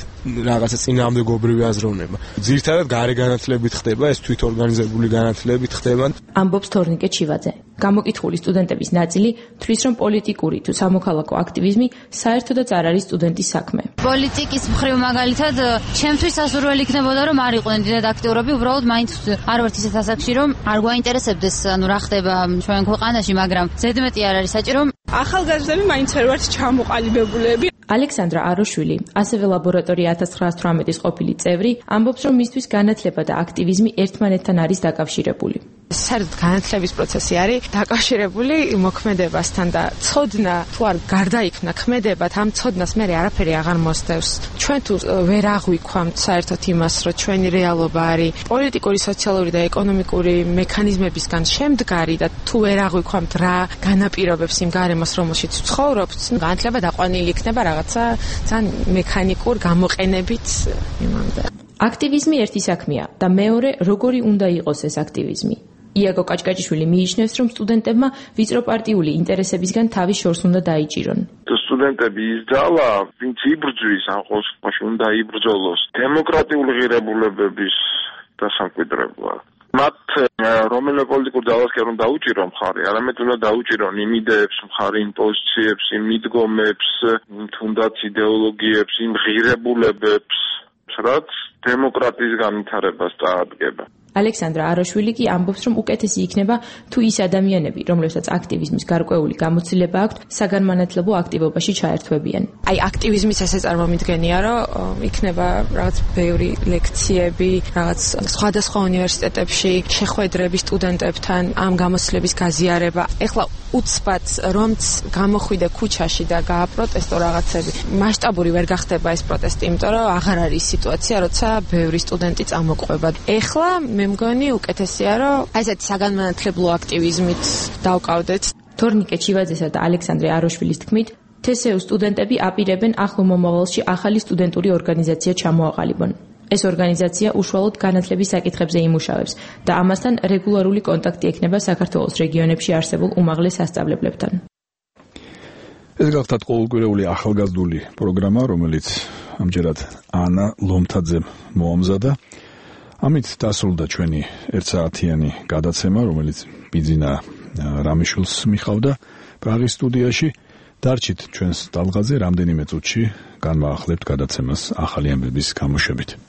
რაღაცა წინააღმდეგობრივი აზროვნება. ძირითადად გარე განათლებით ხდება, ეს თვითორგანიზებული განათლებით ხდება. ამბობს თორნიკე ჩივაძე. გამოკითხული სტუდენტების ნაწილი თვლის, რომ პოლიტიკური თუ სამოქალაქო აქტივიზმი საერთოდაც არ არის სტუდენტის საქმე. პოლიტიკის მხრივ მაგალითად, ჩემთვის სასურველი იქნებოდა, რომ არ იყვნენ დიდად აქტიურები, უბრალოდ მაინც არ ვართ ისეთ ასაკში, რომ არ გვაინტერესებდეს, ანუ რა ხდება ჩვენ ქვეყანაში, მაგრამ ზედმეტი არ არის საჭირო. ახალგაზრდები მაინც არ ვართ ჩამოყალიბებულები. ალექსანდრა აროშვილი, ასევე ლაბორატორია ათას ცხრაასი თვრამეტის ყოფილი წევრი, ამბობს, რომ მისთვის განათლება და აქტივიზმი ერთმანეთთან არის დაკავშირებული. საერთოდ განათლების პროცესი არის დაკავშირებული მოქმედებასთან და ცოდნა თუ არ გარდაიქმნა ქმედებად, ამ ცოდნას მე არაფერი აღარ მოსდევს. ჩვენ თუ ვერ აღვიქვამთ საერთოდ იმას, რომ ჩვენი რეალობა არის პოლიტიკური, სოციალური და ეკონომიკური მექანიზმებისგან შემდგარი და თუ ვერ აღვიქვამთ რა განაპირობებს იმ გარემოს, რომელშიც ვცხოვრობთ, განათლება დაყვანილი იქნება რაღაცა ძალიან მექანიკურ გამოყენებით იმამდე. აქტივიზმი ერთი საქმეა და მეორე, როგორი უნდა იყოს ეს აქტივიზმი. იაგო კაჭკაჭიშვილი მიიჩნევს, რომ სტუდენტებმა ვიწრო პარტიული ინტერესებისგან თავი შორს უნდა დაიჭირონ. სტუდენტები ის ძალა, ვინც იბრძვის, ან ყოველ შემთხვევაში უნდა იბრძოლოს დემოკრატიული ღირებულებების დასამკვიდრებლად. მათ რომელიმე პოლიტიკურ ძალას კი არ უნდა დაუჭირო მხარი, არამედ უნდა დაუჭირონ იმ იდეებს, მხარი იმ პოზიციებს, იმ მიდგომებს, თუნდაც იდეოლოგიებს, იმ ღირებულებებს, რაც დემოკრატიის განვითარებას წაადგება. ალექსანდრა აროშვილი კი ამბობს, რომ უკეთესი იქნება თუ ის ადამიანები, რომლებსაც აქტივიზმის გარკვეული გამოცდილება აქვთ, საგანმანათლებლო აქტივობაში ჩაერთვებიან. აი აქტივიზმის ესე წარმომიდგენია, რომ იქნება რაღაც ბევრი ლექციები, რაღაც სხვადასხვა უნივერსიტეტებში შეხვედრები სტუდენტებთან, ამ გამოცდილების გაზიარება. ეხლა უცბად რომც გამოხვიდე ქუჩაში და გააპროტესტო რაღაცები. მასშტაბური ვერ გახდება ეს პროტესტი, იმიტომ რომ აღარ არის სიტუაცია, როცა ბევრი სტუდენტი წამოყვება. ეხლა მე მგონი უკეთესია, რომ აი ესეთი საგანმანათლებლო აქტივიზმით დავკავდეთ. თორნიკე ჩივაძესა და ალექსანდრე აროშვილის თქმით, თე ეს იუ სტუდენტები აპირებენ ახლო მომავალში ახალი სტუდენტური ორგანიზაცია ჩამოაყალიბონ. ეს ორგანიზაცია უშუალოდ განათლების საკითხებზე იმუშავებს და ამასთან რეგულარული კონტაქტი ექნება საქართველოს რეგიონებში არსებულ უმაღლეს სასწავლებლებთან. ეს გახლავთ ყოველკვირეული ახალგაზრდული პროგრამა, რომელიც ამჯერად ანა ლომთაძემ მოამზადა. ამით დასრულდა ჩვენი ერთსაათიანი გადაცემა, რომელიც ბიძინა რამიშვილს მიხავდა პრაღის სტუდიაში. დარჩით ჩვენს ტალღაზე რამდენიმე წუთში განვაახლებთ გადაცემას ახალი ამბების გამოშვებით.